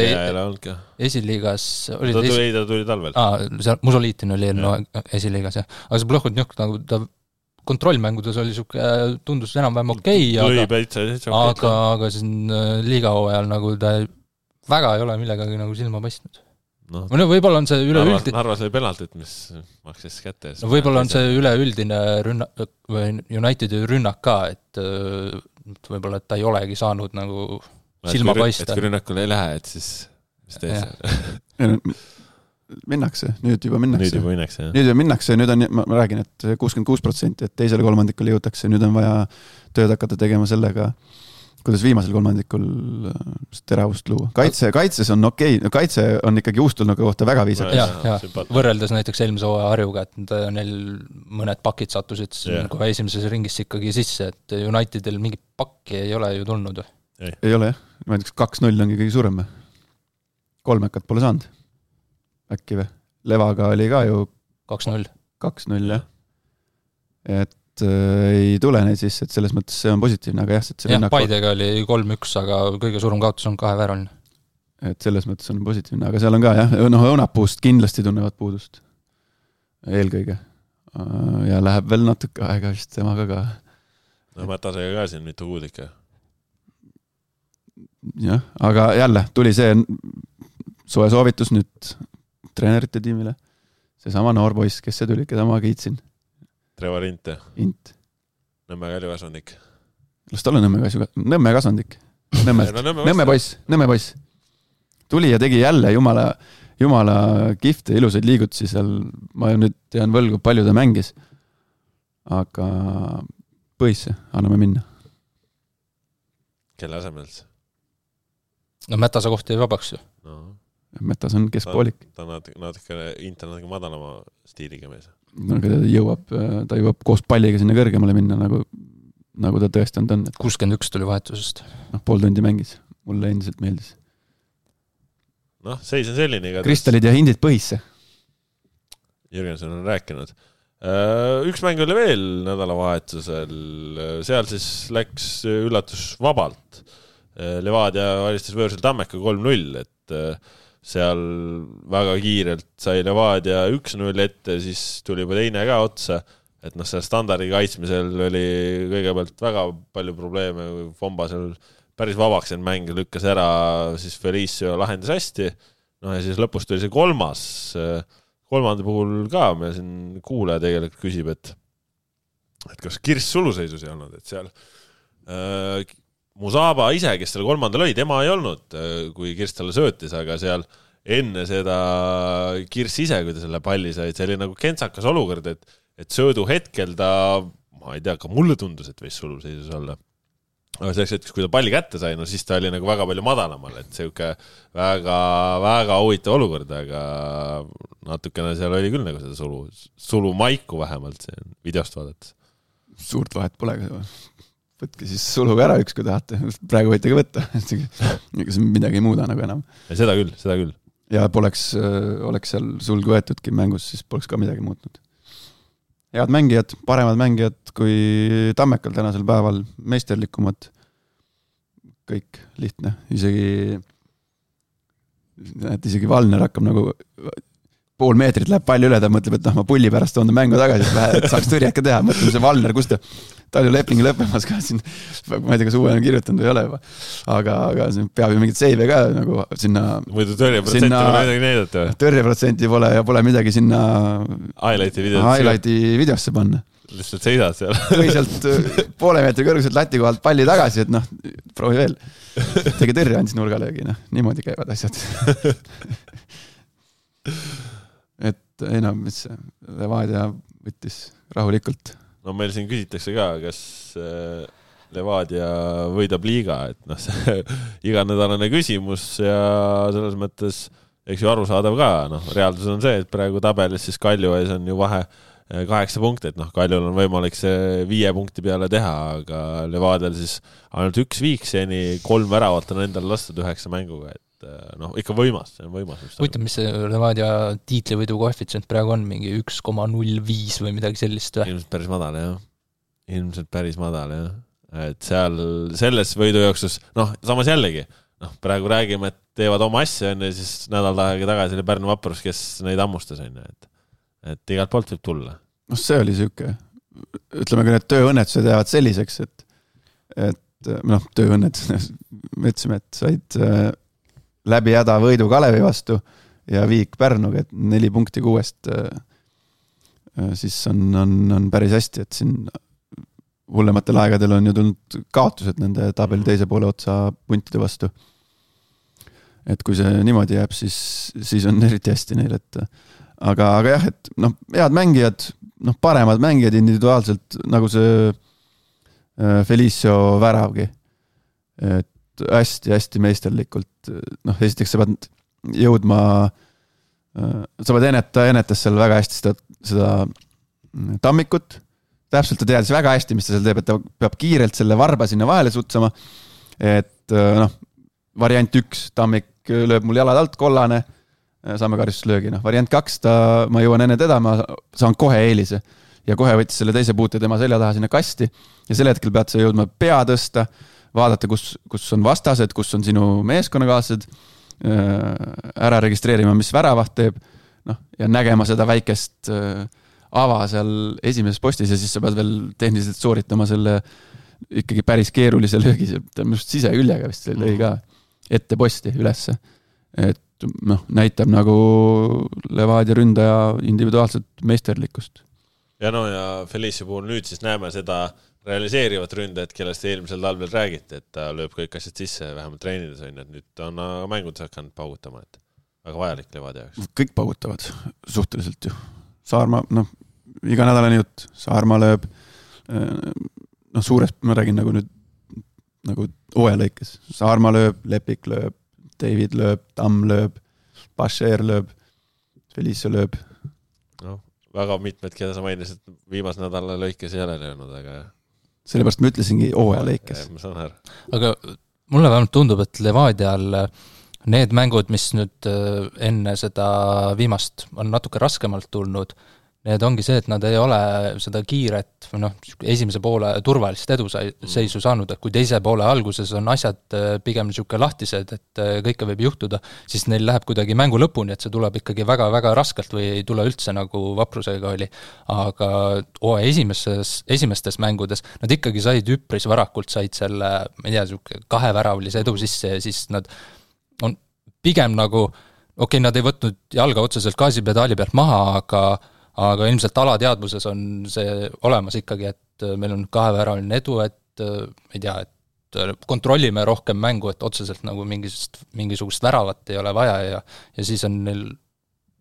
Esiliigas... Ta tuli talvel. Musoliitin oli esiliigas, jah. Aga see Plohhotjuk nagu ta kontrollmängudes oli suke, tundus enam-vähem okei, aga siin liigahooajal nagu ta väga ei ole millegagi nagu silma paistnud. No, võib-olla on see üleüldine... Narvas oli penaltit, mis maksis kätte. No, võib-olla on see üleüldine Unitedi rünnak ka, et võib-olla et ta ei olegi saanud nagu silma paista. Et kui rünnakule ei lähe, et siis mis tees? Minnakse, nüüd juba minnakse. Nüüd on, ma räägin, et 66%, et teisele kolmandikule jõutakse, nüüd on vaja tööd hakata tegema sellega, kuidas viimasel kolmandikul teravust luua. Kaitses on okei. Kaitse on ikkagi uustulnuga kohta väga viisakas. Ja. Võrreldes näiteks eelmise hooaja Harjuga, et neil mõned pakid sattusid kohe esimeses ringis ikkagi sisse, et Unitedil mingi pakki ei ole ju tulnud. Ei ole, jah. Ma näiteks 2-0 ongi kõige suurem. 3 pole saanud. Äkki või? Levaga oli ka ju 2-0. 2-0, jah. Et ei tule neid sisse, et selles mõttes see on positiivne, aga jah, Paidega oli 3-1, aga kõige suurem kaotus on 2 vääraline. Et selles mõttes on positiivne, aga seal on ka jah, Õunapuust kindlasti tunnevad puudust eelkõige ja läheb veel natuke aega vist temaga ka. No Mätasega ka siin mitu kuud ikka. Jah, aga jälle tuli see soe soovitus nüüd treenerite tiimile, see sama noorpoiss, kes see tuli, keda ma kiitsin. Trevor Int. Nõmme Kalju-Kasvandik. Las ta ole Nõmme Kasvandik. Nõmme poiss. Tuli ja tegi jälle jumala kihvte ilusaid liigutusi seal. Ma nüüd tean võlgu, palju ta mängis. Aga põisse, anname minna. Kelle asemel? No Mätase koht jäi vabaks ju. No. Mätas on keskpoolik. Ta natuke madalama stiiliga mees. No, ta jõuab koos palliga sinna kõrgemale minna, nagu ta tõestanud on. 61 tuli vahetusest. Pool tundi mängis. Mulle endiselt meeldis. Seis on selline. Kristallid ja hindid põhisse. Jürgenson on rääkinud. Üks mäng oli veel nädalavahetusel. Seal siis läks üllatus vabalt. Levadia alistas võõrsil Tammeka 3-0, et seal väga kiirelt sai Levadia 1-0 ette, siis tuli juba teine ka otsa, et seal standardi kaitsmisel oli kõigepealt väga palju probleeme, Fomba seal päris vabaks end mäng lükkas ära, siis Felicio lahendas hästi, ja siis lõpus tuli see kolmanda puhul ka, meil siin kuulaja tegelikult küsib, et kas Kirss suluseisus ei olnud, et seal Musaba ise, kes selle kolmandal oli, tema ei olnud, kui Kirss talle söötis, aga seal enne seda Kirss ise, kui ta selle palli sai, see oli nagu kentsakas olukord, et söödu hetkel ta, ma ei tea, ka mulle tundus, et võis suluseisus olla. Aga selleks hetkes, kui ta palli kätte sai, no siis ta oli nagu väga palju madalamal, et selline väga, väga huvitav olukord, aga natukene seal oli küll nagu seda sulu maiku vähemalt videost vaadates. Suurt vahet pole ka. Võtke siis suluga ära üks, kui tahate. Praegu võite ka võtta. Ega see midagi ei muuda nagu enam. Ja seda küll. Ja oleks seal sulgu võetudki mängus, siis poleks ka midagi muutnud. Head mängijad, paremad mängijad kui Tammekal tänasel päeval, meisterlikumad. Kõik lihtne. Isegi Valner hakkab nagu pool meetrit läheb palju üle, ta mõtleb, et ma pulli pärast toon mängu tagasi, et saaks tõrjaka teha. Mõtleme see Valner, kus ta oli lepingi lõppemas ka siin, ma ei tea, kas uue on kirjutanud või ei ole juba. Aga peab ju mingit seive ka nagu sinna... Muidu tõrjeprotsenti pole midagi näidata. Tõrjeprotsenti pole ja pole midagi sinna highlighti videosse panna. Lihtsalt seisad seal. Või sealt poole meetri kõrguselt lati kohalt palli tagasi, et proovi veel. Tegi tõrje andis nurgalöögi, niimoodi käivad asjad. Et mis Levadia võttis rahulikult. No meil siin küsitakse ka, kas Levadia võidab liiga, et see iganädalane küsimus ja selles mõttes eks ju arusaadav ka, reaalsus on see, et praegu tabelis siis Kalju ees on ju vahe 8 punkti, et Kaljul on võimalik see 5 punkti peale teha, aga Levadial siis ainult 1 viik seni, 3 väravat on endal lastud 9 mänguga, et ikka võimas, see on võimas. Huvitav, mis see Levadia tiitlivõidu koefitsient praegu on, mingi 1,05 või midagi sellist või? Ilmselt päris madal, jah. Et seal selles võidujooksus, samas jällegi, praegu räägime, et teevad oma asja enne, siis nädal tagasi oli Pärnu Vaprus, kes neid ammustas enne, et igalt poolt võib tulla. See oli siuke, ütleme ka need tööõnnetused jäävad selliseks, et tööõnnet, me ütlesime, et said läbi häda võidu Kalevi vastu ja viik Pärnuga, et 4 punkti 6 siis on päris hästi, et siin hullematel aegadel on ju tulnud kaotused nende tabeli teise poole otsa puntide vastu. Et kui see niimoodi jääb, siis on eriti hästi neil, et aga jah, et head mängijad, paremad mängijad individuaalselt, nagu see Felicio väravgi, et hästi meisterlikult, esiteks sa pead jõudma, sa pead ennetas seal väga hästi seda tammikut, täpselt ta teadis väga hästi, mis ta seal teeb, et ta peab kiirelt selle varba sinna vahele sutsama, et variant 1, tammik lööb mul jalad alt, kollane, saame karistuslöögi, variant 2, ma jõuan enne teda, ma saan kohe eelise ja kohe võttis selle teise puute tema selja taha sinna kasti ja sel hetkel pead sa jõudma pea tõsta, vaadata, kus on vastased, kus on sinu meeskonnakaaslased, ära registreerima, mis väravaht teeb, ja nägema seda väikest ava seal esimeses postis ja siis sa pead veel tehniliselt sooritama selle ikkagi päris keerulise löögi, ta on just siseküljega vist lõi ka ette posti ülesse, et näitab nagu Levadia ründaja individuaalset meisterlikkust. Ja ja Felicio puhul nüüd siis näeme seda realiseerivat ründajat, kellest eelmisel talvel räägiti, et ta lööb kõik asjad sisse, vähemalt treenides on, et nüüd on mängudes hakanud paugutama, et väga vajalik Levadia jaoks. Kõik paugutavad suhteliselt ju. Saarma, iga nädalane jutt, Saarma lööb, suures, ma räägin nagu nüüd nagu OE-lõikes, Saarma lööb, Lepik lööb, David lööb, Tamm lööb, Bashir lööb, Felicio lööb. Väga mitmed, keda sa mainisid, viimase nädala lõikes ei ole löönud, aga sellepärast ma ütlesingi OE-lõikes. Ma saan aru. Aga mulle vähemalt tundub, et Levadial need mängud, mis nüüd enne seda viimast on natuke raskemalt tulnud, need ongi see, et nad ei ole seda kiiret, esimese poole turvalist eduseisu saanud, et kui teise poole alguses on asjad pigem niisugune lahtised, et kõike võib juhtuda, siis neil läheb kuidagi mängu lõpuni, et see tuleb ikkagi väga-väga raskelt või ei tule üldse nagu Vaprusega oli. Aga esimestes mängudes nad ikkagi said üpris varakult, said selle, ma ei tea, 2 väravlise edu sisse ja siis nad on pigem nagu, nad ei võtnud jalga otseselt gaasipedaali pealt maha, aga ilmselt alateadvuses on see olemas ikkagi, et meil on 2 väraline edu, et ei tea, et kontrollime rohkem mängu, et otseselt nagu mingisugust väravat ei ole vaja ja siis on neil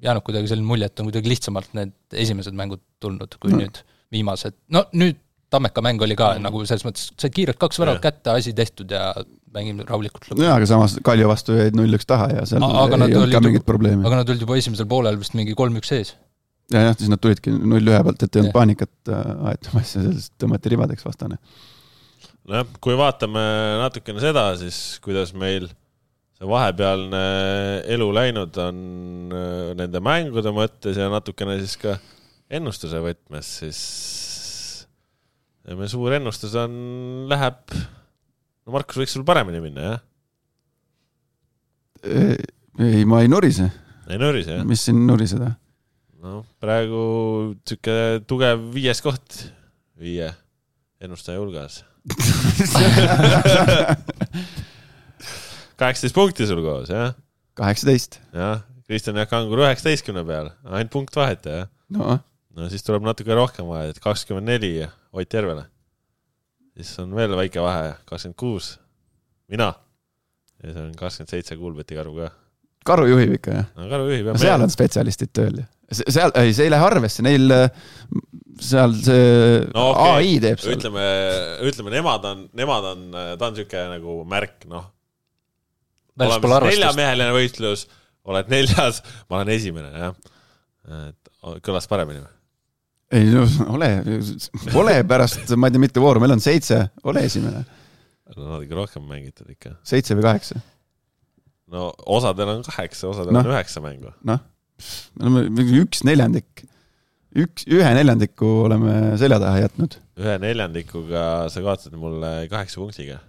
jäänud kuidagi selline mulje, et on kuidagi lihtsamalt need esimesed mängud tulnud kui nüüd viimased. Nüüd Tammeka mäng oli ka nagu selles mõttes, said kiirelt 2 väravat kätte, asi tehtud ja mängime rahulikult lõppu. Aga samas Kalju vastu jäid 0-1 taha ja seal ei olnud ka mingit probleemi. Aga nad olid juba esimesel poolel vist mingi 3-1 ees. Ja, siis nad tulidki 0-1 pealt, et ei olnud paanikat aetamas ja sellest tõmmati ribadeks vastane. Kui vaatame natukene seda, siis kuidas meil see vahepealne elu läinud on nende mängude mõttes ja natukene siis ka ennustuse võtmes, siis meie suur ennustus läheb, Markus võiks sul paremini minna, jah? Ei, ma ei nurise. Ei nurise, jah? Mis siin nuriseda? Praegu tükke tugev 5. koht 5 ennustaja hulgas. 18 punkti sul koos, jah? 18. Jah, Kristjan Jaak Angur 19 peal, ainult punkt vahet, jah? No siis tuleb natuke rohkem vahet, 24 Ott Järvele. Siis on veel väike vahe, 26 mina ja see on 27 Kuulbeti Karu ka. Karu juhib ikka, jah? No, Karu juhib, jah. Seal on spetsialistid tööl, jah? See ei lähe arvesse, neil seal see AI teeb seal. Ütleme nemad on ta on siuke nagu märk, oleme 4-meheline võistlus, oled 4, ma olen esimene, jah. Et kõlas paremini või? Ei, no ole pärast, ma ei tea, mitte vooru, meil on 7, ole esimene. No nad ikka rohkem mängitud ikka. 7 või 8? No osadel on 8, osadel on 9 mängu. Noh, me oleme 1/4. 1/4 oleme selja taha jätnud. 1/4 sa kaotasid mulle 8 punktiga.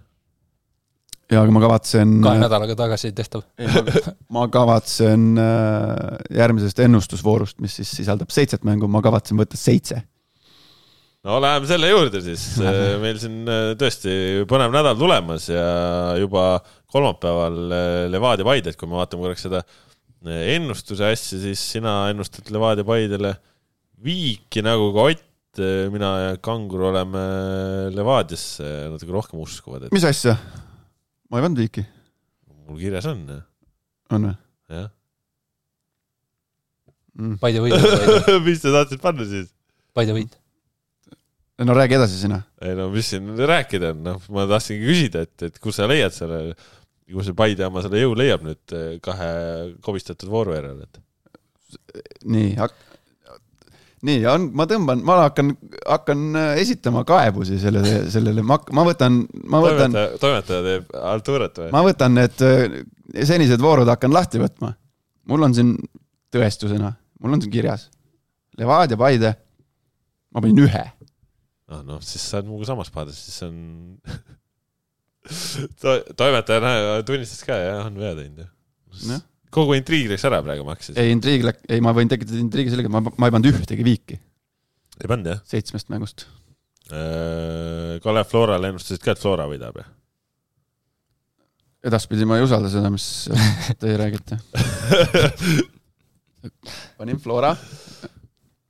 Ja aga ma kavatsen 2 nädalaga tagasi tehtav. Ma kavatsen järgmisest ennustusvoorust, mis siis sisaldab 7 mängu, ma kavatsen võtta 7. No läheme selle juurde siis. Meil siin tõesti põnev nädal tulemas ja juba kolmapäeval Levadia Paide, kui me vaatame korraks seda ennustuse asja, siis sina ennustad Levadia Paidele viiki nagu ka Ott, mina ja Kangur oleme Levadiasse natuke rohkem uskuvad. Mis asja? Ma ei pannud viiki. Mul kirjas on. On või? Jah. Paide võid. Mis te tahtsid panna siis? Paide võid. No räägi edasi sina. Ei no mis siin rääkida on? No, ma tahtsingi küsida, et kus sa leiad selle, kus see Paide oma selle jõu leiab nüüd 2 kobistatud vooru järel. Nii, ma tõmban, ma hakkan esitama kaebusi sellele, ma võtan toimetaja teeb Arturat või? Ma võtan need senised voorud hakkan lahti võtma. Mul on siin tõestusena, mul on siin kirjas Levadia Paide, ma panin 1. No, siis sa oled muuga samas paades, siis on toimetaja tunnistas ka ja on vea teinud. Kogu intriig läks ära praegu maksis. Ei, ma võin tekitada intriigi sellega, ma ei pannud ühtegi viiki. Ei pannud, jah? 7 mängust. Kalev Florale ennustasid ka, et Flora võidab, jah? Edaspidi ma ei usalda seda, mis teie räägite. Panin Flora.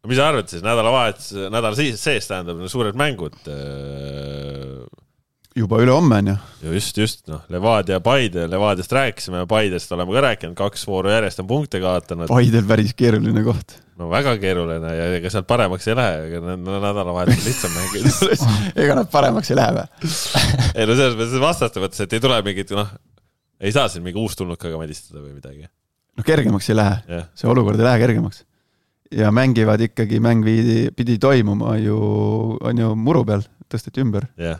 Mis sa arvad siis? Nädala sees tähendab suured mängud. Juba üle homme on ju. Just. No, Levadia Paide, Levadiast rääkisime, Paidest oleme ka rääkinud, 2 vooru järjest on punkte kaotanud. Paidel päris keeruline koht. No väga keeruline ja ega sealt paremaks ei lähe, ega nädalavahetusel lihtsam mängida. Ega nad paremaks ei lähe või? Ei no selles mõttes vastaste võttes, et ei tule mingit, ei saa siin mingi uus tulnukaga medistada või midagi. No kergemaks ei lähe, see olukord ei lähe kergemaks. Ja mängivad ikkagi, mäng pidi toimuma on ju muru peal, tõsteti ümber. Jah,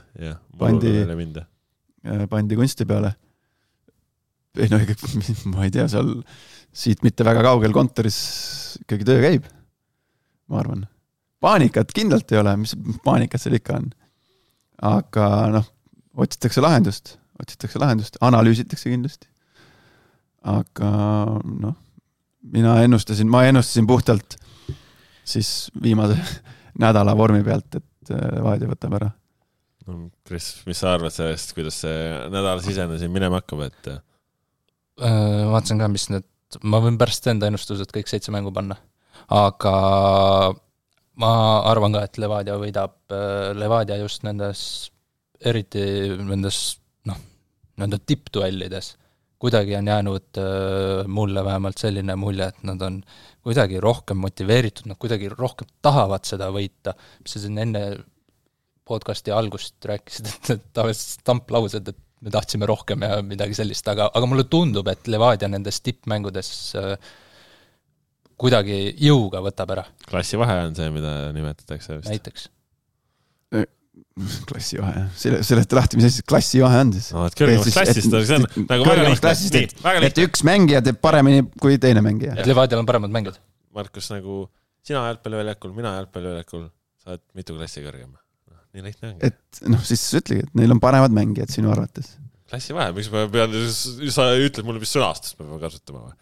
pandi kunsti peale. Ei no, ma ei tea, seal siit mitte väga kaugel kontoris ikkagi töö käib, ma arvan. Paanikat kindlalt ei ole, mis paanikat seal ikka on. Aga otsitakse lahendust, analüüsitakse kindlasti. Aga ma ennustasin puhtalt siis viimase nädala vormi pealt, et Levadia võtab ära. Kris, mis sa arvad sellest, kuidas see nädal sisenesin minema hakkab, et vaatasin ka, mis need, ma võin pärast enda ennustused kõik 7 mängu panna, aga ma arvan ka, et Levadia võidab, Levadia just eriti nende tippduellides kuidagi on jäänud mulle vähemalt selline mulje, et nad on kuidagi rohkem motiveeritud, nad kuidagi rohkem tahavad seda võita. Mis sa siin enne podcasti algust rääkisid, et stamplaused, et me tahtsime rohkem ja midagi sellist, aga mulle tundub, et Levadia nendes tippmängudes kuidagi jõuga võtab ära. Klassivahe on see, mida nimetatakse vist. Näiteks. Klassivahe, seleta lahti, mis asjad klassivahe on siis? No, et kõrgemaks klassist, see on nagu väga lihtne. Et üks mängija teeb paremini kui teine mängija. Et Levadial on paremad mängijad. Markus, nagu sina jalgpalliväljakul, mina jalgpalliväljakul, sa oled mitu klassi kõrgem. Nii lihtne ongi. Et siis ütlegi, et neil on paremad mängijad sinu arvates. Klassivahe, miks ma pean, sa ütled mulle, mis sõnastust me peame kasutama või?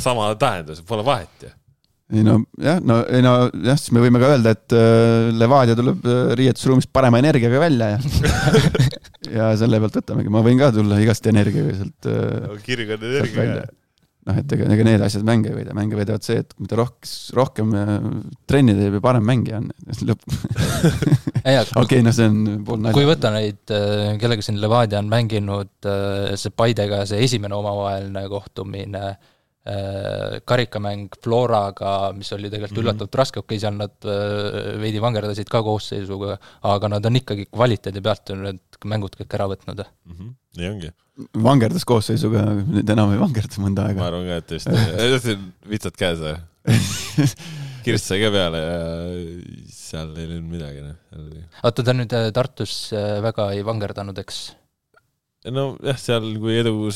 Sama tähendus, pole vahet ju. Siis me võime ka öelda, et Levadia tuleb riietusruumist parema energiaga välja ja selle pealt võtamegi. Ma võin ka tulla igast energiaga sealt kirg on energia. Et ega need asjad mänge ei võida. Mänge võidavad see, et mida rohkem trenni teeb ja parem mängija on. Okei, see on pool nalja. Kui võtta neid, kellega siin Levadia on mänginud see Paidega, see esimene omavaheline kohtumine, Karikamäng Floraga, mis oli tegelikult üllatavalt raske, okei, seal nad veidi vangerdasid ka koosseisuga, aga nad on ikkagi kvaliteedi pealt need mängud kõik ära võtnud. Nii ongi. Vangerdas koosseisuga, nüüd enam ei vangerda mõnda aega. Ma arvan ka, et just vitsad käes kirst sai ka peale ja seal ei olnud midagi. Oota, ta nüüd Tartus väga ei vangerdanud, eks? No jah, seal kui edu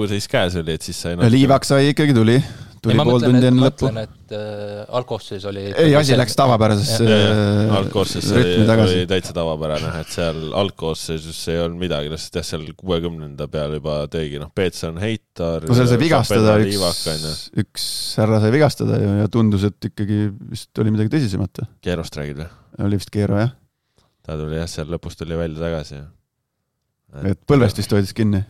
seis käes oli, et siis sai Liivak sai ikkagi tuli pool tundi enne lõppu. Ma mõtlen, et algkoosseis oli... Ei, asi läks tavapärasesse algkoosseis oli täitsa tavapärane, et seal algkoosseisus ei olnud midagi, sest jah, seal 60. peal juba tõigi, Peetson, Heitar... No seal sai vigastada, üks härra sai vigastada ja tundus, et ikkagi vist oli midagi tõsisemat. Keerost räägid või? Oli vist Keero, jah. Ta tuli jah, seal lõpus tuli välja tagasi, jah. Et põlvest vist hoidis kinni.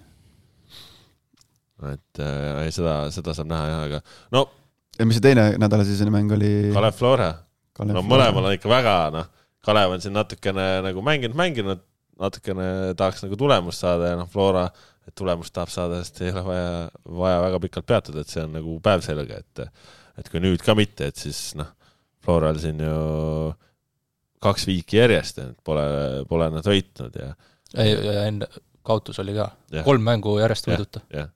Et seda saab näha jah, aga no... Ja mis see teine nädalasisene mäng oli? Kalev Flora. Mõlemal on ikka väga, Kalev on siin natukene nagu mänginud, natukene tahaks nagu tulemust saada ja Flora, et tulemust tahab saada, sest ei ole vaja väga pikalt peatuda, et see on nagu päev selge, et kui nüüd ka mitte, et siis Floral siin ju 2 viiki järjest, et pole nad võitnud ja enne kaotus oli ka. 3 mängu järjest võiduta. Jah.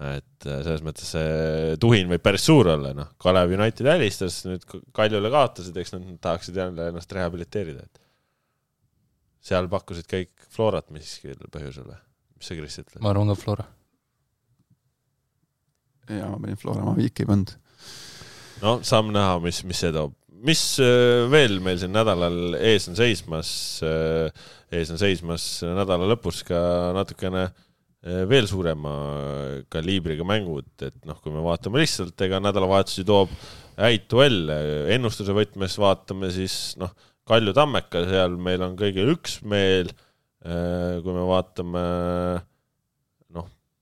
Et selles mõttes see tuhin võib päris suur olla. Kalev United välistas, nüüd Kaljule kaotasid, eks nad tahaksid jälle ennast rehabiliteerida. Seal pakkusid kõik Florat miskil põhjusel. Mis sa Kris ütled? Ma arvan ka Flora. Ja, ma panin Flora, ma viiki ei pannud. No, saame näha, mis see toob. Mis veel meil siin nädalal ees on seismas nädala lõpus ka natukene veel suurema kaliibriga mängud, et kui me vaatame lihtsalt, ega nädalavahetusi toob häid duelle, ennustuse võtmes vaatame siis Kalju Tammeka, seal meil on kõigil üksmeel, kui me vaatame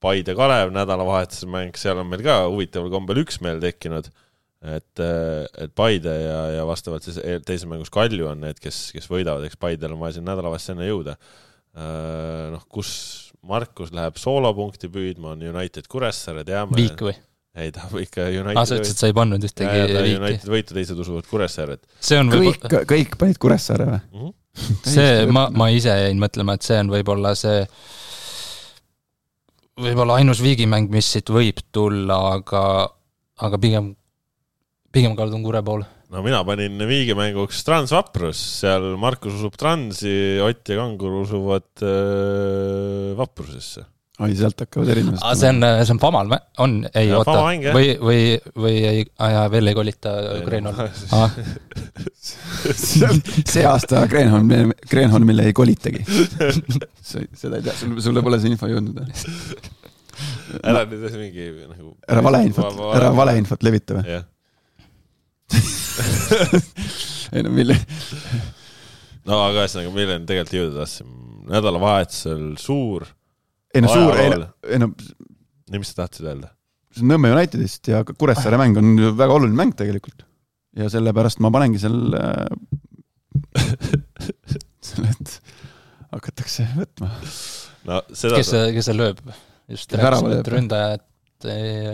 Paide Kalev nädalavahetuse mäng, seal on meil ka huvitaval kombel üksmeel tekkinud, et Paide ja vastavalt siis teise mängus Kalju on need, kes võidavad, eks Paidel on vaja siin nädalavahest enne jõuda. Kus Markus läheb soolopunkti püüdma, on United Kuressaare, teame. Viik või? Ei, ta ikka United... sa ütlesid, sa ei pannud ühtegi viiki. United võitu teised usuvad Kuressaare. Kõik panid Kuressaare või? See, ma ise jäin mõtlema, et see on võib-olla see võib-olla ainus viigimäng, mis siit võib tulla, aga pigem kaldun Kure poole. No mina panin viigimänguks Trans-Vaprus, seal Markus usub Transi, Ott ja Kangur usuvad Vaprusesse. Ai, sealt hakkavad erinevad. See on Famal, ei ja, oota, või ei, veel ei kolita Kreenholm. See aasta Kreenholmile ei kolitagi. Seda ei tea, sulle pole see info jõudnud. Ära nüüd mingi... Ära valeinfot levita või? Jah. Ei no mille no aga ühesõnaga milline tegelikult jõuda tahtsin nädalavahetusel suur nii mis sa tahtsid öelda? Nõmme Unitedist ja Kuressaare mäng on väga oluline mäng tegelikult ja sellepärast ma panengi selle et hakatakse võtma kes see lööb just rääkisime, et ründajad ei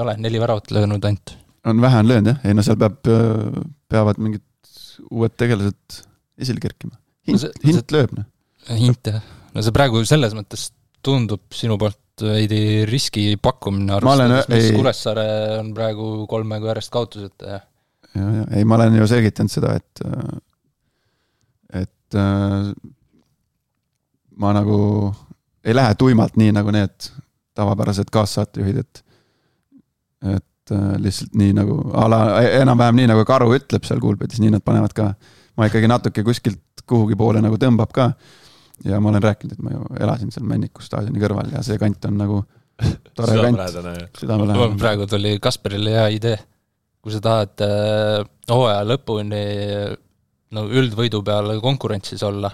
ole 4 väravat löönud ainult on vähe on löönud, jah? Ei, no seal peavad mingid uued tegelased esile kerkima. Hint lööb, noh. Hint, jah. No see praegu selles mõttes tundub sinu poolt veidi riski pakkumine arvestades, mis Kuressaare on praegu 3 mängu järjest kaotused. Ja, ei, ma olen ju selgitanud seda, et ma nagu ei lähe tuimalt nii nagu need tavapärased kaassaatejuhid, et lihtsalt nii nagu enam-vähem nii nagu Karu ütleb seal kuulpetis, nii nad panevad ka ma ikkagi natuke kuskilt kuhugi poole nagu tõmbab ka ja ma olen rääkinud, et ma ju elasin seal Männiku staadioni kõrval ja see kant on nagu tore kant. Praegu tuli Kasperile hea idee, kui sa tahad hooaja lõpuni üldvõidu peale konkurentsis olla,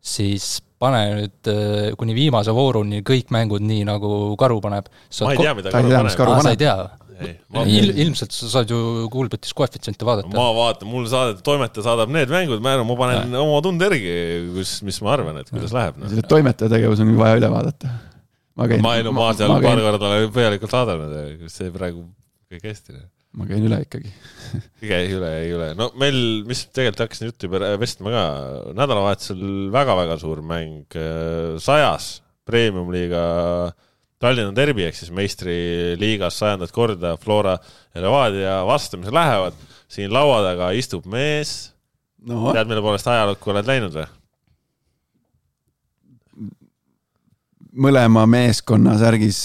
siis pane nüüd kuni viimase vooruni kõik mängud nii, nagu Karu paneb. Ma ei tea, mida Karu paneb. Sa ei tea. Ilmselt sa saad ju kuulbetis koefitsiente vaadata. Ma vaatan, mul toimetaja saadab need mängud, ma panen oma tunde ergi, mis ma arvan, et kuidas läheb. Selle toimetaja tegevus on vaja üle vaadata. ma ei maa seal paar korda olen põhjalikult vaadanud, see praegu kõik hästi. Ma käin üle ikkagi. ei üle. No meil, mis tegelikult hakkasin juttu juba vestma ka, nädalavahetusel väga-väga suur mäng 100 Premium-liiga Tallinna derbi, ehk siis meistriliigas 100. korda Flora ja Levadia vastamise lähevad. Siin laua taga istub mees. No. Tead, mille poolest ajalukku oled läinud või? Mõlema meeskonna särgis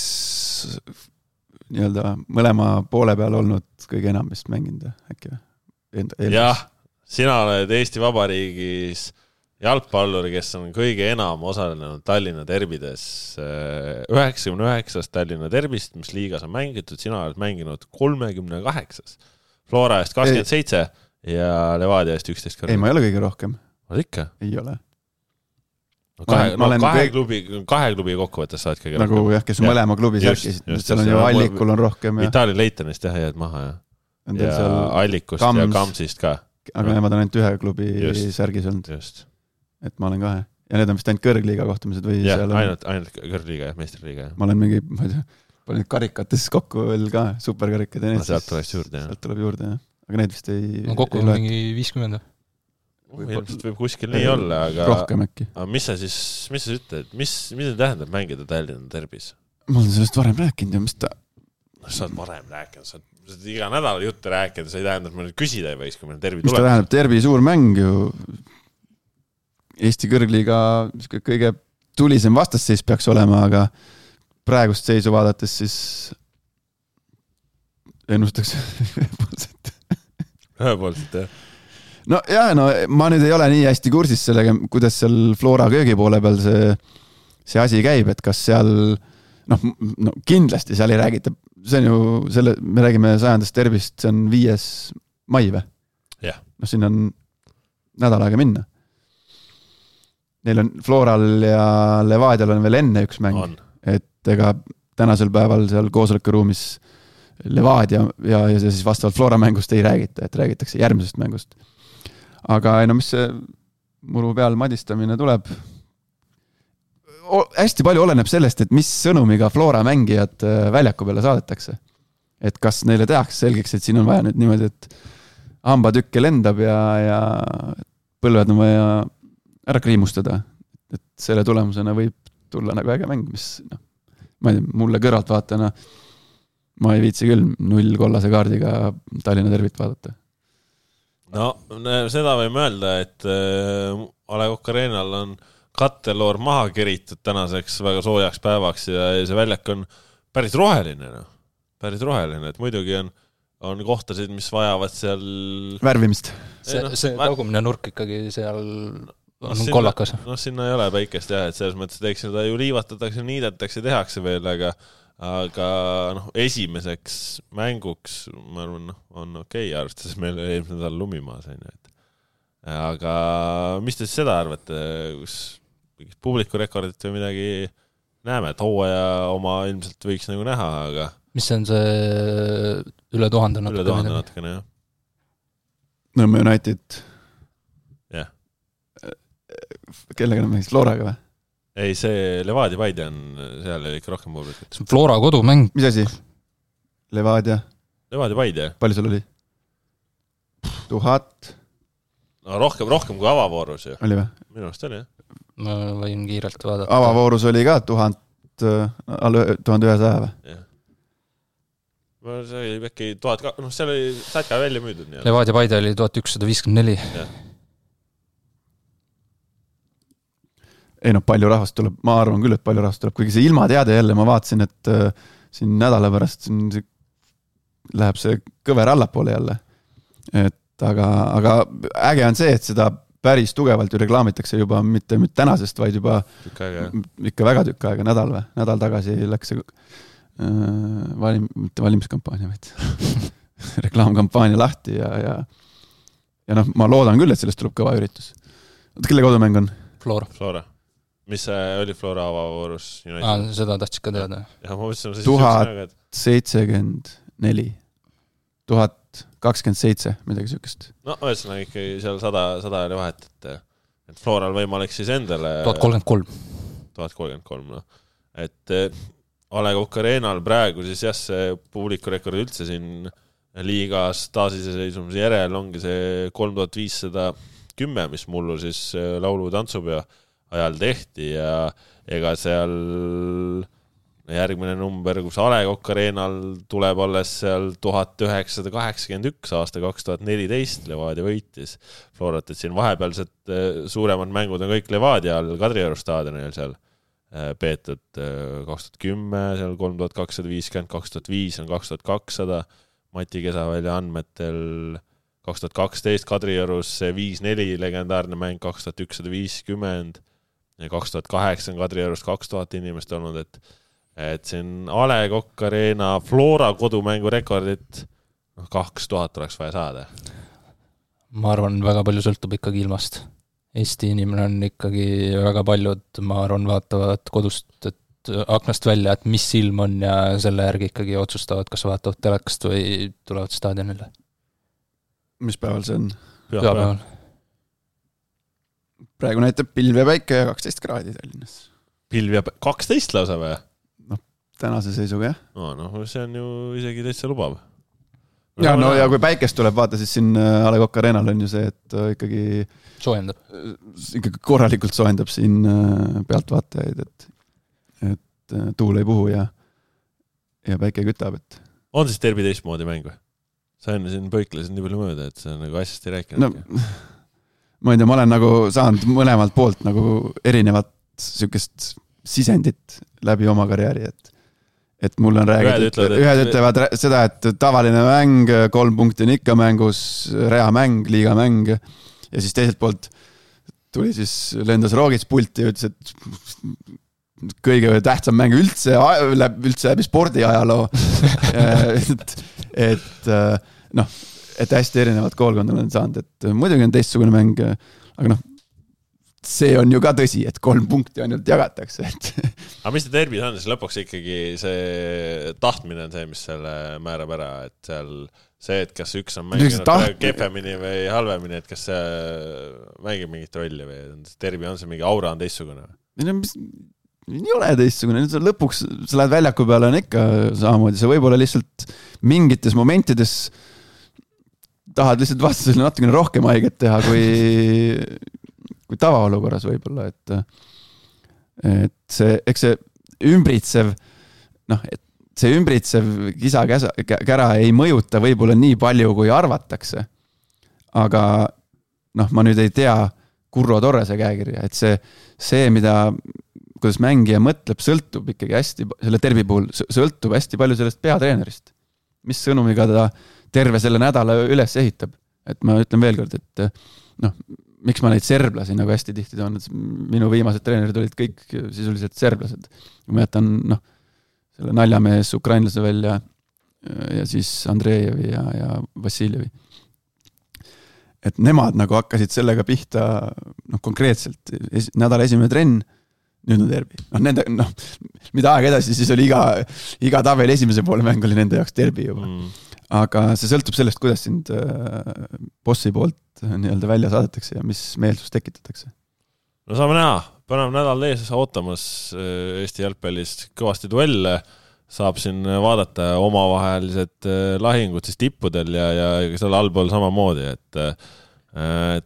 nii-öelda mõlema poole peal olnud kõige enam vist mänginud äkki või? Jah, sina oled Eesti Vabariigis jalgpalluri, kes on kõige enam osalenud Tallinna derbides 99 Tallinna derbist, mis liigas on mängitud, sina oled mänginud 38. Flora eest 27 ja Levadia eest 11 korda. Ei, ma ei ole kõige rohkem. Oled ikka? Ei ole. Kahe klubi kokkuvõttes saad kõige nagu rohkem. Jah, kes on mõlema klubi särkis. Seal on ju Allikul on rohkem. Itaalia Leitonist jääd maha ja Allikust ja Kamsist ka. Aga nemad on ainult ühe klubi särgis olnud. Just. Et ma olen 2. Ja need on vist ainult kõrgliiga kohtumised või ja, seal on... ainult kõrgliiga ja meistriliiga. Ma olen mingi, ma ei tea, palju neid karikates kokku veel ka, superkarikad ja need. Sealt tuleb juurde, jah. Aga need vist ei... No kokku on mingi 50. Ilmselt võib kuskil nii olla, aga... Rohkem äkki. Aga mis sa ütled? Mis tähendab mängida Tallinna derbis? Ma olen sellest varem rääkinud ja mis ta... Sa oled varem rääkinud, sa oled iga nädal jutte rääkinud, see ei tähendab, et ma nüüd küsida ei võiks, kui meil derbi tuleb. Mis ta tähendab? Derbi suur mäng ju... Eesti kõrgliiga kõige tulisem vastasseis peaks olema, aga praegust seisu vaadates siis ennustaks ühepoolselt, jah. No jah, ma nüüd ei ole nii hästi kursis sellega, kuidas seal Flora köögi poole peal see asi käib, et kas seal no kindlasti seal ei räägita, see on ju me räägime 100. derbist, see on 5. mai või? Jah. No siin on nädal aega minna. Neil on Floral ja Levadial on veel enne üks mäng, et ega tänasel päeval seal koosolekuruumis Levadia ja siis vastavalt Flora mängust ei räägita, et räägitakse järgmisest mängust. Aga mis see muru peal madistamine tuleb? Hästi palju oleneb sellest, et mis sõnumiga Flora mängijad väljaku peale saadetakse. Et kas neile tehakse selgeks, et siin on vaja nüüd niimoodi, et hambatükke lendab ja põlved on vaja ära kriimustada. Et selle tulemusena võib tulla nagu äge mäng, mis ma ei tea, mulle kõrvalt vaatana ma ei viitsi küll 0 kollase kaardiga Tallinna derbit vaadata. No, seda võime öelda, et A. Le Coq Arenal on katteloor maha keritud tänaseks väga soojaks päevaks ja see väljak on päris roheline. Päris roheline, et muidugi on kohtasid, mis vajavad seal... Värvimist. See taugumine nurk ikkagi seal on kollakas. Sinna ei ole päikest jah, et selles mõttes teeks seda ju liivatatakse, niidetakse, tehakse veel, aga esimeseks mänguks ma arvan, on okei, arvestades meil eelmisel nädal lumimaas. Aga mis te seda arvate, kus publikurekordit või midagi näeme, et hooaja oma ilmselt võiks nagu näha, aga... Mis on see üle 1000 natukene? Üle 1000 natukene, jah. Nõmme United. Jah. Kellega mängis Floraga või? Ei, see Levadia Paide on seal ikka rohkem publikut. Flora kodumäng. Mis asi? Levadia Paide. Palju sul oli? 1000? No rohkem kui avavoorus ju. Oli või? Minu arust oli, jah. Ma võin kiirelt vaadata. Avavoorus oli ka 1100 või? Jah. See oli äkki 1000, seal oli sätka välja müüdud. Levadia Paide oli 1154. Jah. Ei palju rahvast tuleb, ma arvan küll, et palju rahvast tuleb, kuigi see ilmateade jälle, ma vaatasin, et siin nädala pärast läheb see kõver allapoole jälle. Aga äge on see, et seda päris tugevalt ju reklaamitakse juba mitte tänasest, vaid juba ikka väga tükk aega, nädal tagasi läks see mitte valimiskampaania, vaid reklaamkampaania lahti ja ma loodan küll, et sellest tuleb kõva üritus. Kelle kodumäng on? Flora. Mis oli Flora avavoorus? Seda tahtsid ka teada. 1074 1027, midagi sükest. No, ühesõnaga ikkagi seal 100 oli vahet, et Floral võimalik siis endale 1033, no. et A. Le Coq Arena'l praegu siis jah, see publikurekord üldse siin liigas taasiseseisvumise järel ongi see 3510, mis mullu siis laulu- tantsupeo ajal tehti ja ega seal järgmine number, kus A. Le Coq Arena'l tuleb alles seal 1981 aasta 2014 Levadia võitis Florat, et siin vahepealsed suuremad mängud on kõik Levadia all Kadrioru staadionil seal peetud 2010, seal 3250, 2005 on 2200, Mati Kesavälja andmetel 2012 Kadriorus 5-4 legendaarne mäng 2150 ja 2008 on Kadriorus 2000 inimest olnud, et siin A. Le Coq Arena Flora kodumängu rekordit 2000 oleks vaja saada. Ma arvan, väga palju sõltub ikkagi ilmast. Eesti inimene on ikkagi väga paljud, ma arvan, vaatavad kodust, et aknast välja, et mis ilm on ja selle järgi ikkagi otsustavad, kas vaatavad telekast või tulevad staadionile. Mis päeval see on? Pühapäeval. Praegu näitab pilv ja päike ja 12 kraadi Tallinnas. Pilv ja 12 lausa või? Tänase seisuga, jah. No, see on ju isegi täitsa lubav. Ja kui päikest tuleb, vaata siis siin A. Le Coq Arena'l on ju see, et ikkagi soojendab. Ikkagi korralikult soojendab siin pealtvaatajaid, et tuul ei puhu ja päike kütab. Et... On siis derbi teistmoodi mäng või? Sa enne siin põiklesid nii palju mööda, et sa nagu asjast ei rääkinud. No, ma ei tea, ma olen nagu saanud mõlemalt poolt nagu erinevat sükest sisendit läbi oma karjääri, et mul on räägitud, ühed ütlevad seda, et tavaline mäng, 3 punkti on ikka mängus, reamäng, liigamäng ja siis teiselt poolt tuli siis lendas Roogits pulti ja ütles, et kõige tähtsam mäng üldse läbi spordiajaloo et hästi erinevad koolkond olen saanud, et muidugi on teistsugune mäng, aga see on ju ka tõsi, et 3 punkti ainult jagatakse. Aga mis see derbis on, siis lõpuks ikkagi see tahtmine on see, mis selle määrab ära, et seal see, et kas üks on mänginud kehvemini või halvemini, et kas see mängib mingit rolli või derbi on see mingi aura on teistsugune? Ei ole teistsugune, lõpuks sa lähed väljaku peale on ikka samamoodi, sa võib-olla lihtsalt mingites momentides tahad lihtsalt vastasele natukene rohkem haiget teha kui tavaolukorras võib-olla, et see, eks see ümbritsev kisa-kära ei mõjuta võib-olla nii palju, kui arvatakse. Aga ma nüüd ei tea Kurro Torrese käekirja, et see, kuidas mängija mõtleb, sõltub ikkagi hästi, selle derbi puhul sõltub hästi palju sellest peatreenerist. Mis sõnumiga ta terve selle nädala üles ehitab. Et ma ütlen veel kord, et miks ma neid serblasi nagu hästi tihti toon, et minu viimased treenerid olid kõik sisuliselt serblased. Ma jätan selle naljamees ukrainlase välja ja siis Andrejevi ja Vassiljevi. Et nemad nagu hakkasid sellega pihta konkreetselt nädala esimene trenn, nüüd on derbi. Mida aeg edasi, siis oli iga tabeli esimese poole mäng oli nende jaoks derbi juba. Aga see sõltub sellest, kuidas sind bossi poolt nii-öelda välja saadetakse ja mis meelsus tekitatakse. No saame näha, põnev nädal ees ootamas Eesti jalgpallis kõvasti duelle, saab siin vaadata omavahelised lahingud siis tippudel ja selle allpool samamoodi, et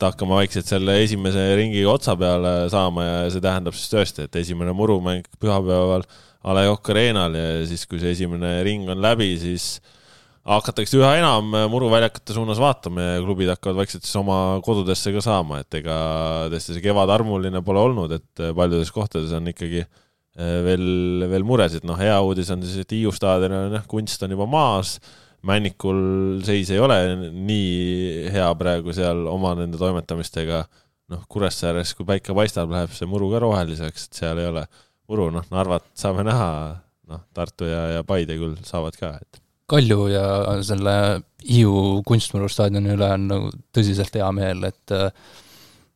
hakkama vaikselt selle esimese ringiga otsa peale saama ja see tähendab siis tõesti, et esimene murumäng pühapäeval A. Le Coq Arena'l ja siis kui see esimene ring on läbi, siis hakatakse üha enam muruväljakute suunas vaatama ja klubid hakkavad vaikselt siis oma kodudesse ka saama, et ega tõesti see kevad armuline pole olnud, et paljudes kohtades on ikkagi veel muresid. Hea uudis on siis, et Hiiu staadion kunst on juba maas, Männikul seis ei ole nii hea praegu seal oma nende toimetamistega. Kuressääres, kui päike paistab, läheb see muru ka roheliseks, et seal ei ole muru. Narvat saame näha, Tartu ja Paide küll saavad ka, et Kalju ja selle Hiiu kunstmuru staadioni üle on tõsiselt hea meel, et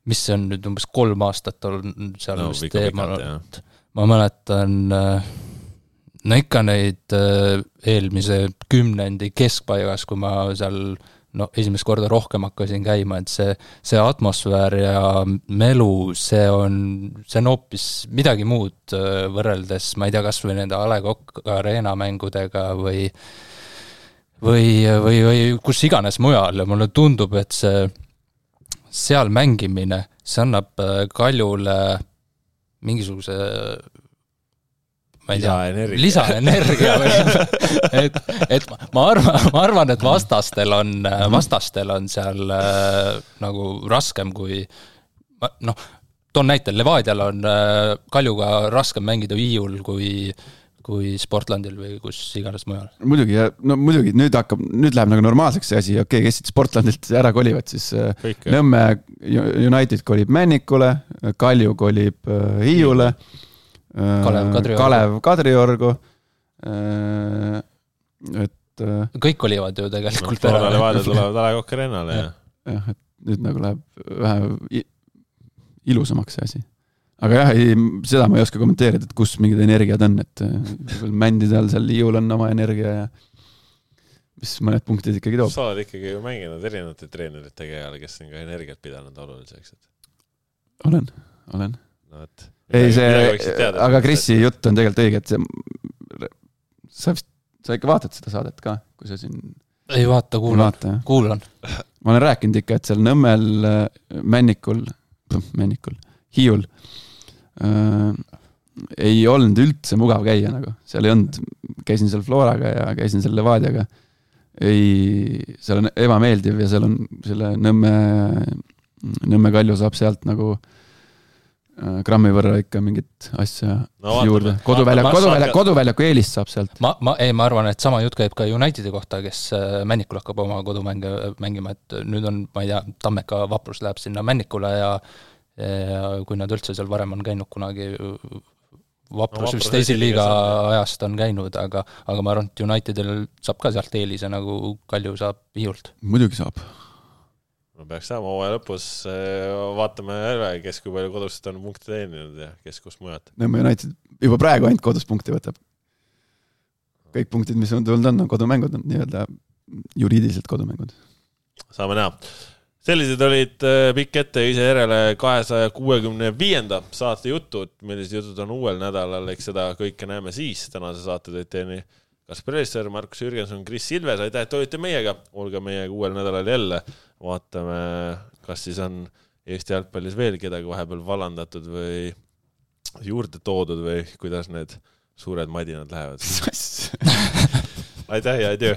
mis see on nüüd umbes 3 aastat on seal vist teemal. Ma mäletan ikka neid eelmise 10. keskpaigas, kui ma seal no esimest korda rohkem hakkasin käima, et see atmosfäär ja melu, see on hoopis midagi muud võrreldes, ma ei tea, kas või nende A. Le Coq Arena mängudega või kus iganes mujal ja mulle tundub, et see seal mängimine, see annab Kaljule mingisuguse ma ei tea, lisaenergia et ma arvan, et vastastel on seal nagu raskem kui toon näitel, Levadial on Kaljuga raskem mängida Hiiul kui Sportlandil või kus iganes mujal. Muidugi, muidugi, nüüd läheb nagu normaalseks see asi, okei, kes siit Sportlandilt ära kolivad, siis kõik, Nõmme United kolib Männikule, Kalju kolib Hiiule, Kalev Kadriorgu, et kõik kolivad ju tegelikult ära. Levadial tulevad A. Le Coq Arenale, jah, et nüüd nagu läheb vähe ilusamaks see asi. Aga jah, seda ma ei oska kommenteerida, et kus mingid energiad on, et mändidel seal Hiiul on oma energia ja mis mõned punktid ikkagi toob. Sa oled ikkagi ju mänginud erinevate treenerite käele, kes on ka energiat pidanud oluliseks. Olen. No, et ei, aga Krissi jutt on tegelikult õige, et sa ikka vaatad seda saadet ka, kui sa siin... Ei vaata, kuulan. Ma olen rääkinud ikka, et seal Nõmmel, Männikul, Hiiul ei olnud üldse mugav käia nagu. Seal ei olnud, käisin seal Floraga ja käisin seal Levadiaga. Seal on ebameeldiv ja seal on selle Nõmme Kalju saab sealt nagu grammi võrra ikka mingit asja juurde. Koduväljaku eelist saab sealt. Ma arvan, et sama jutt käib ka Unitedi kohta, kes Männikul hakkab oma kodumänge mängima, et nüüd on, ma ei tea, Tammeka Vaprus läheb sinna Männikule ja kui nad üldse seal varem on käinud kunagi Vaprus vist teisi liiga ajast on käinud, aga ma arvan, et Unitedil saab ka sealt eelise, nagu Kalju saab Hiiult. Muidugi saab. No peaks saama hooaja lõpus, vaatame üle, kes kui palju kodust on punkti teeninud ja kes kus mujad. Nõmme United juba praegu ainult kodus punkti võtab. Kõik punktid, mis on tulnud on kodumängud, on nii-öelda juriidiliselt kodumängud. Saame näha. Sellised olid pikk ette ise järele 265. saate jutud, millised jutud on uuel nädalal, eks seda kõike näeme siis. Tänase saate tõid teeni Kaspar Elisser, Markus Jürgenson, Kris Silves, aitäh, et olite meiega. Olge meiega uuel nädalal jälle. Vaatame, kas siis on Eesti jalgpallis veel kedagi vahepeal vallandatud või juurde toodud või kuidas need suured madinad lähevad. Aitäh ja adieu!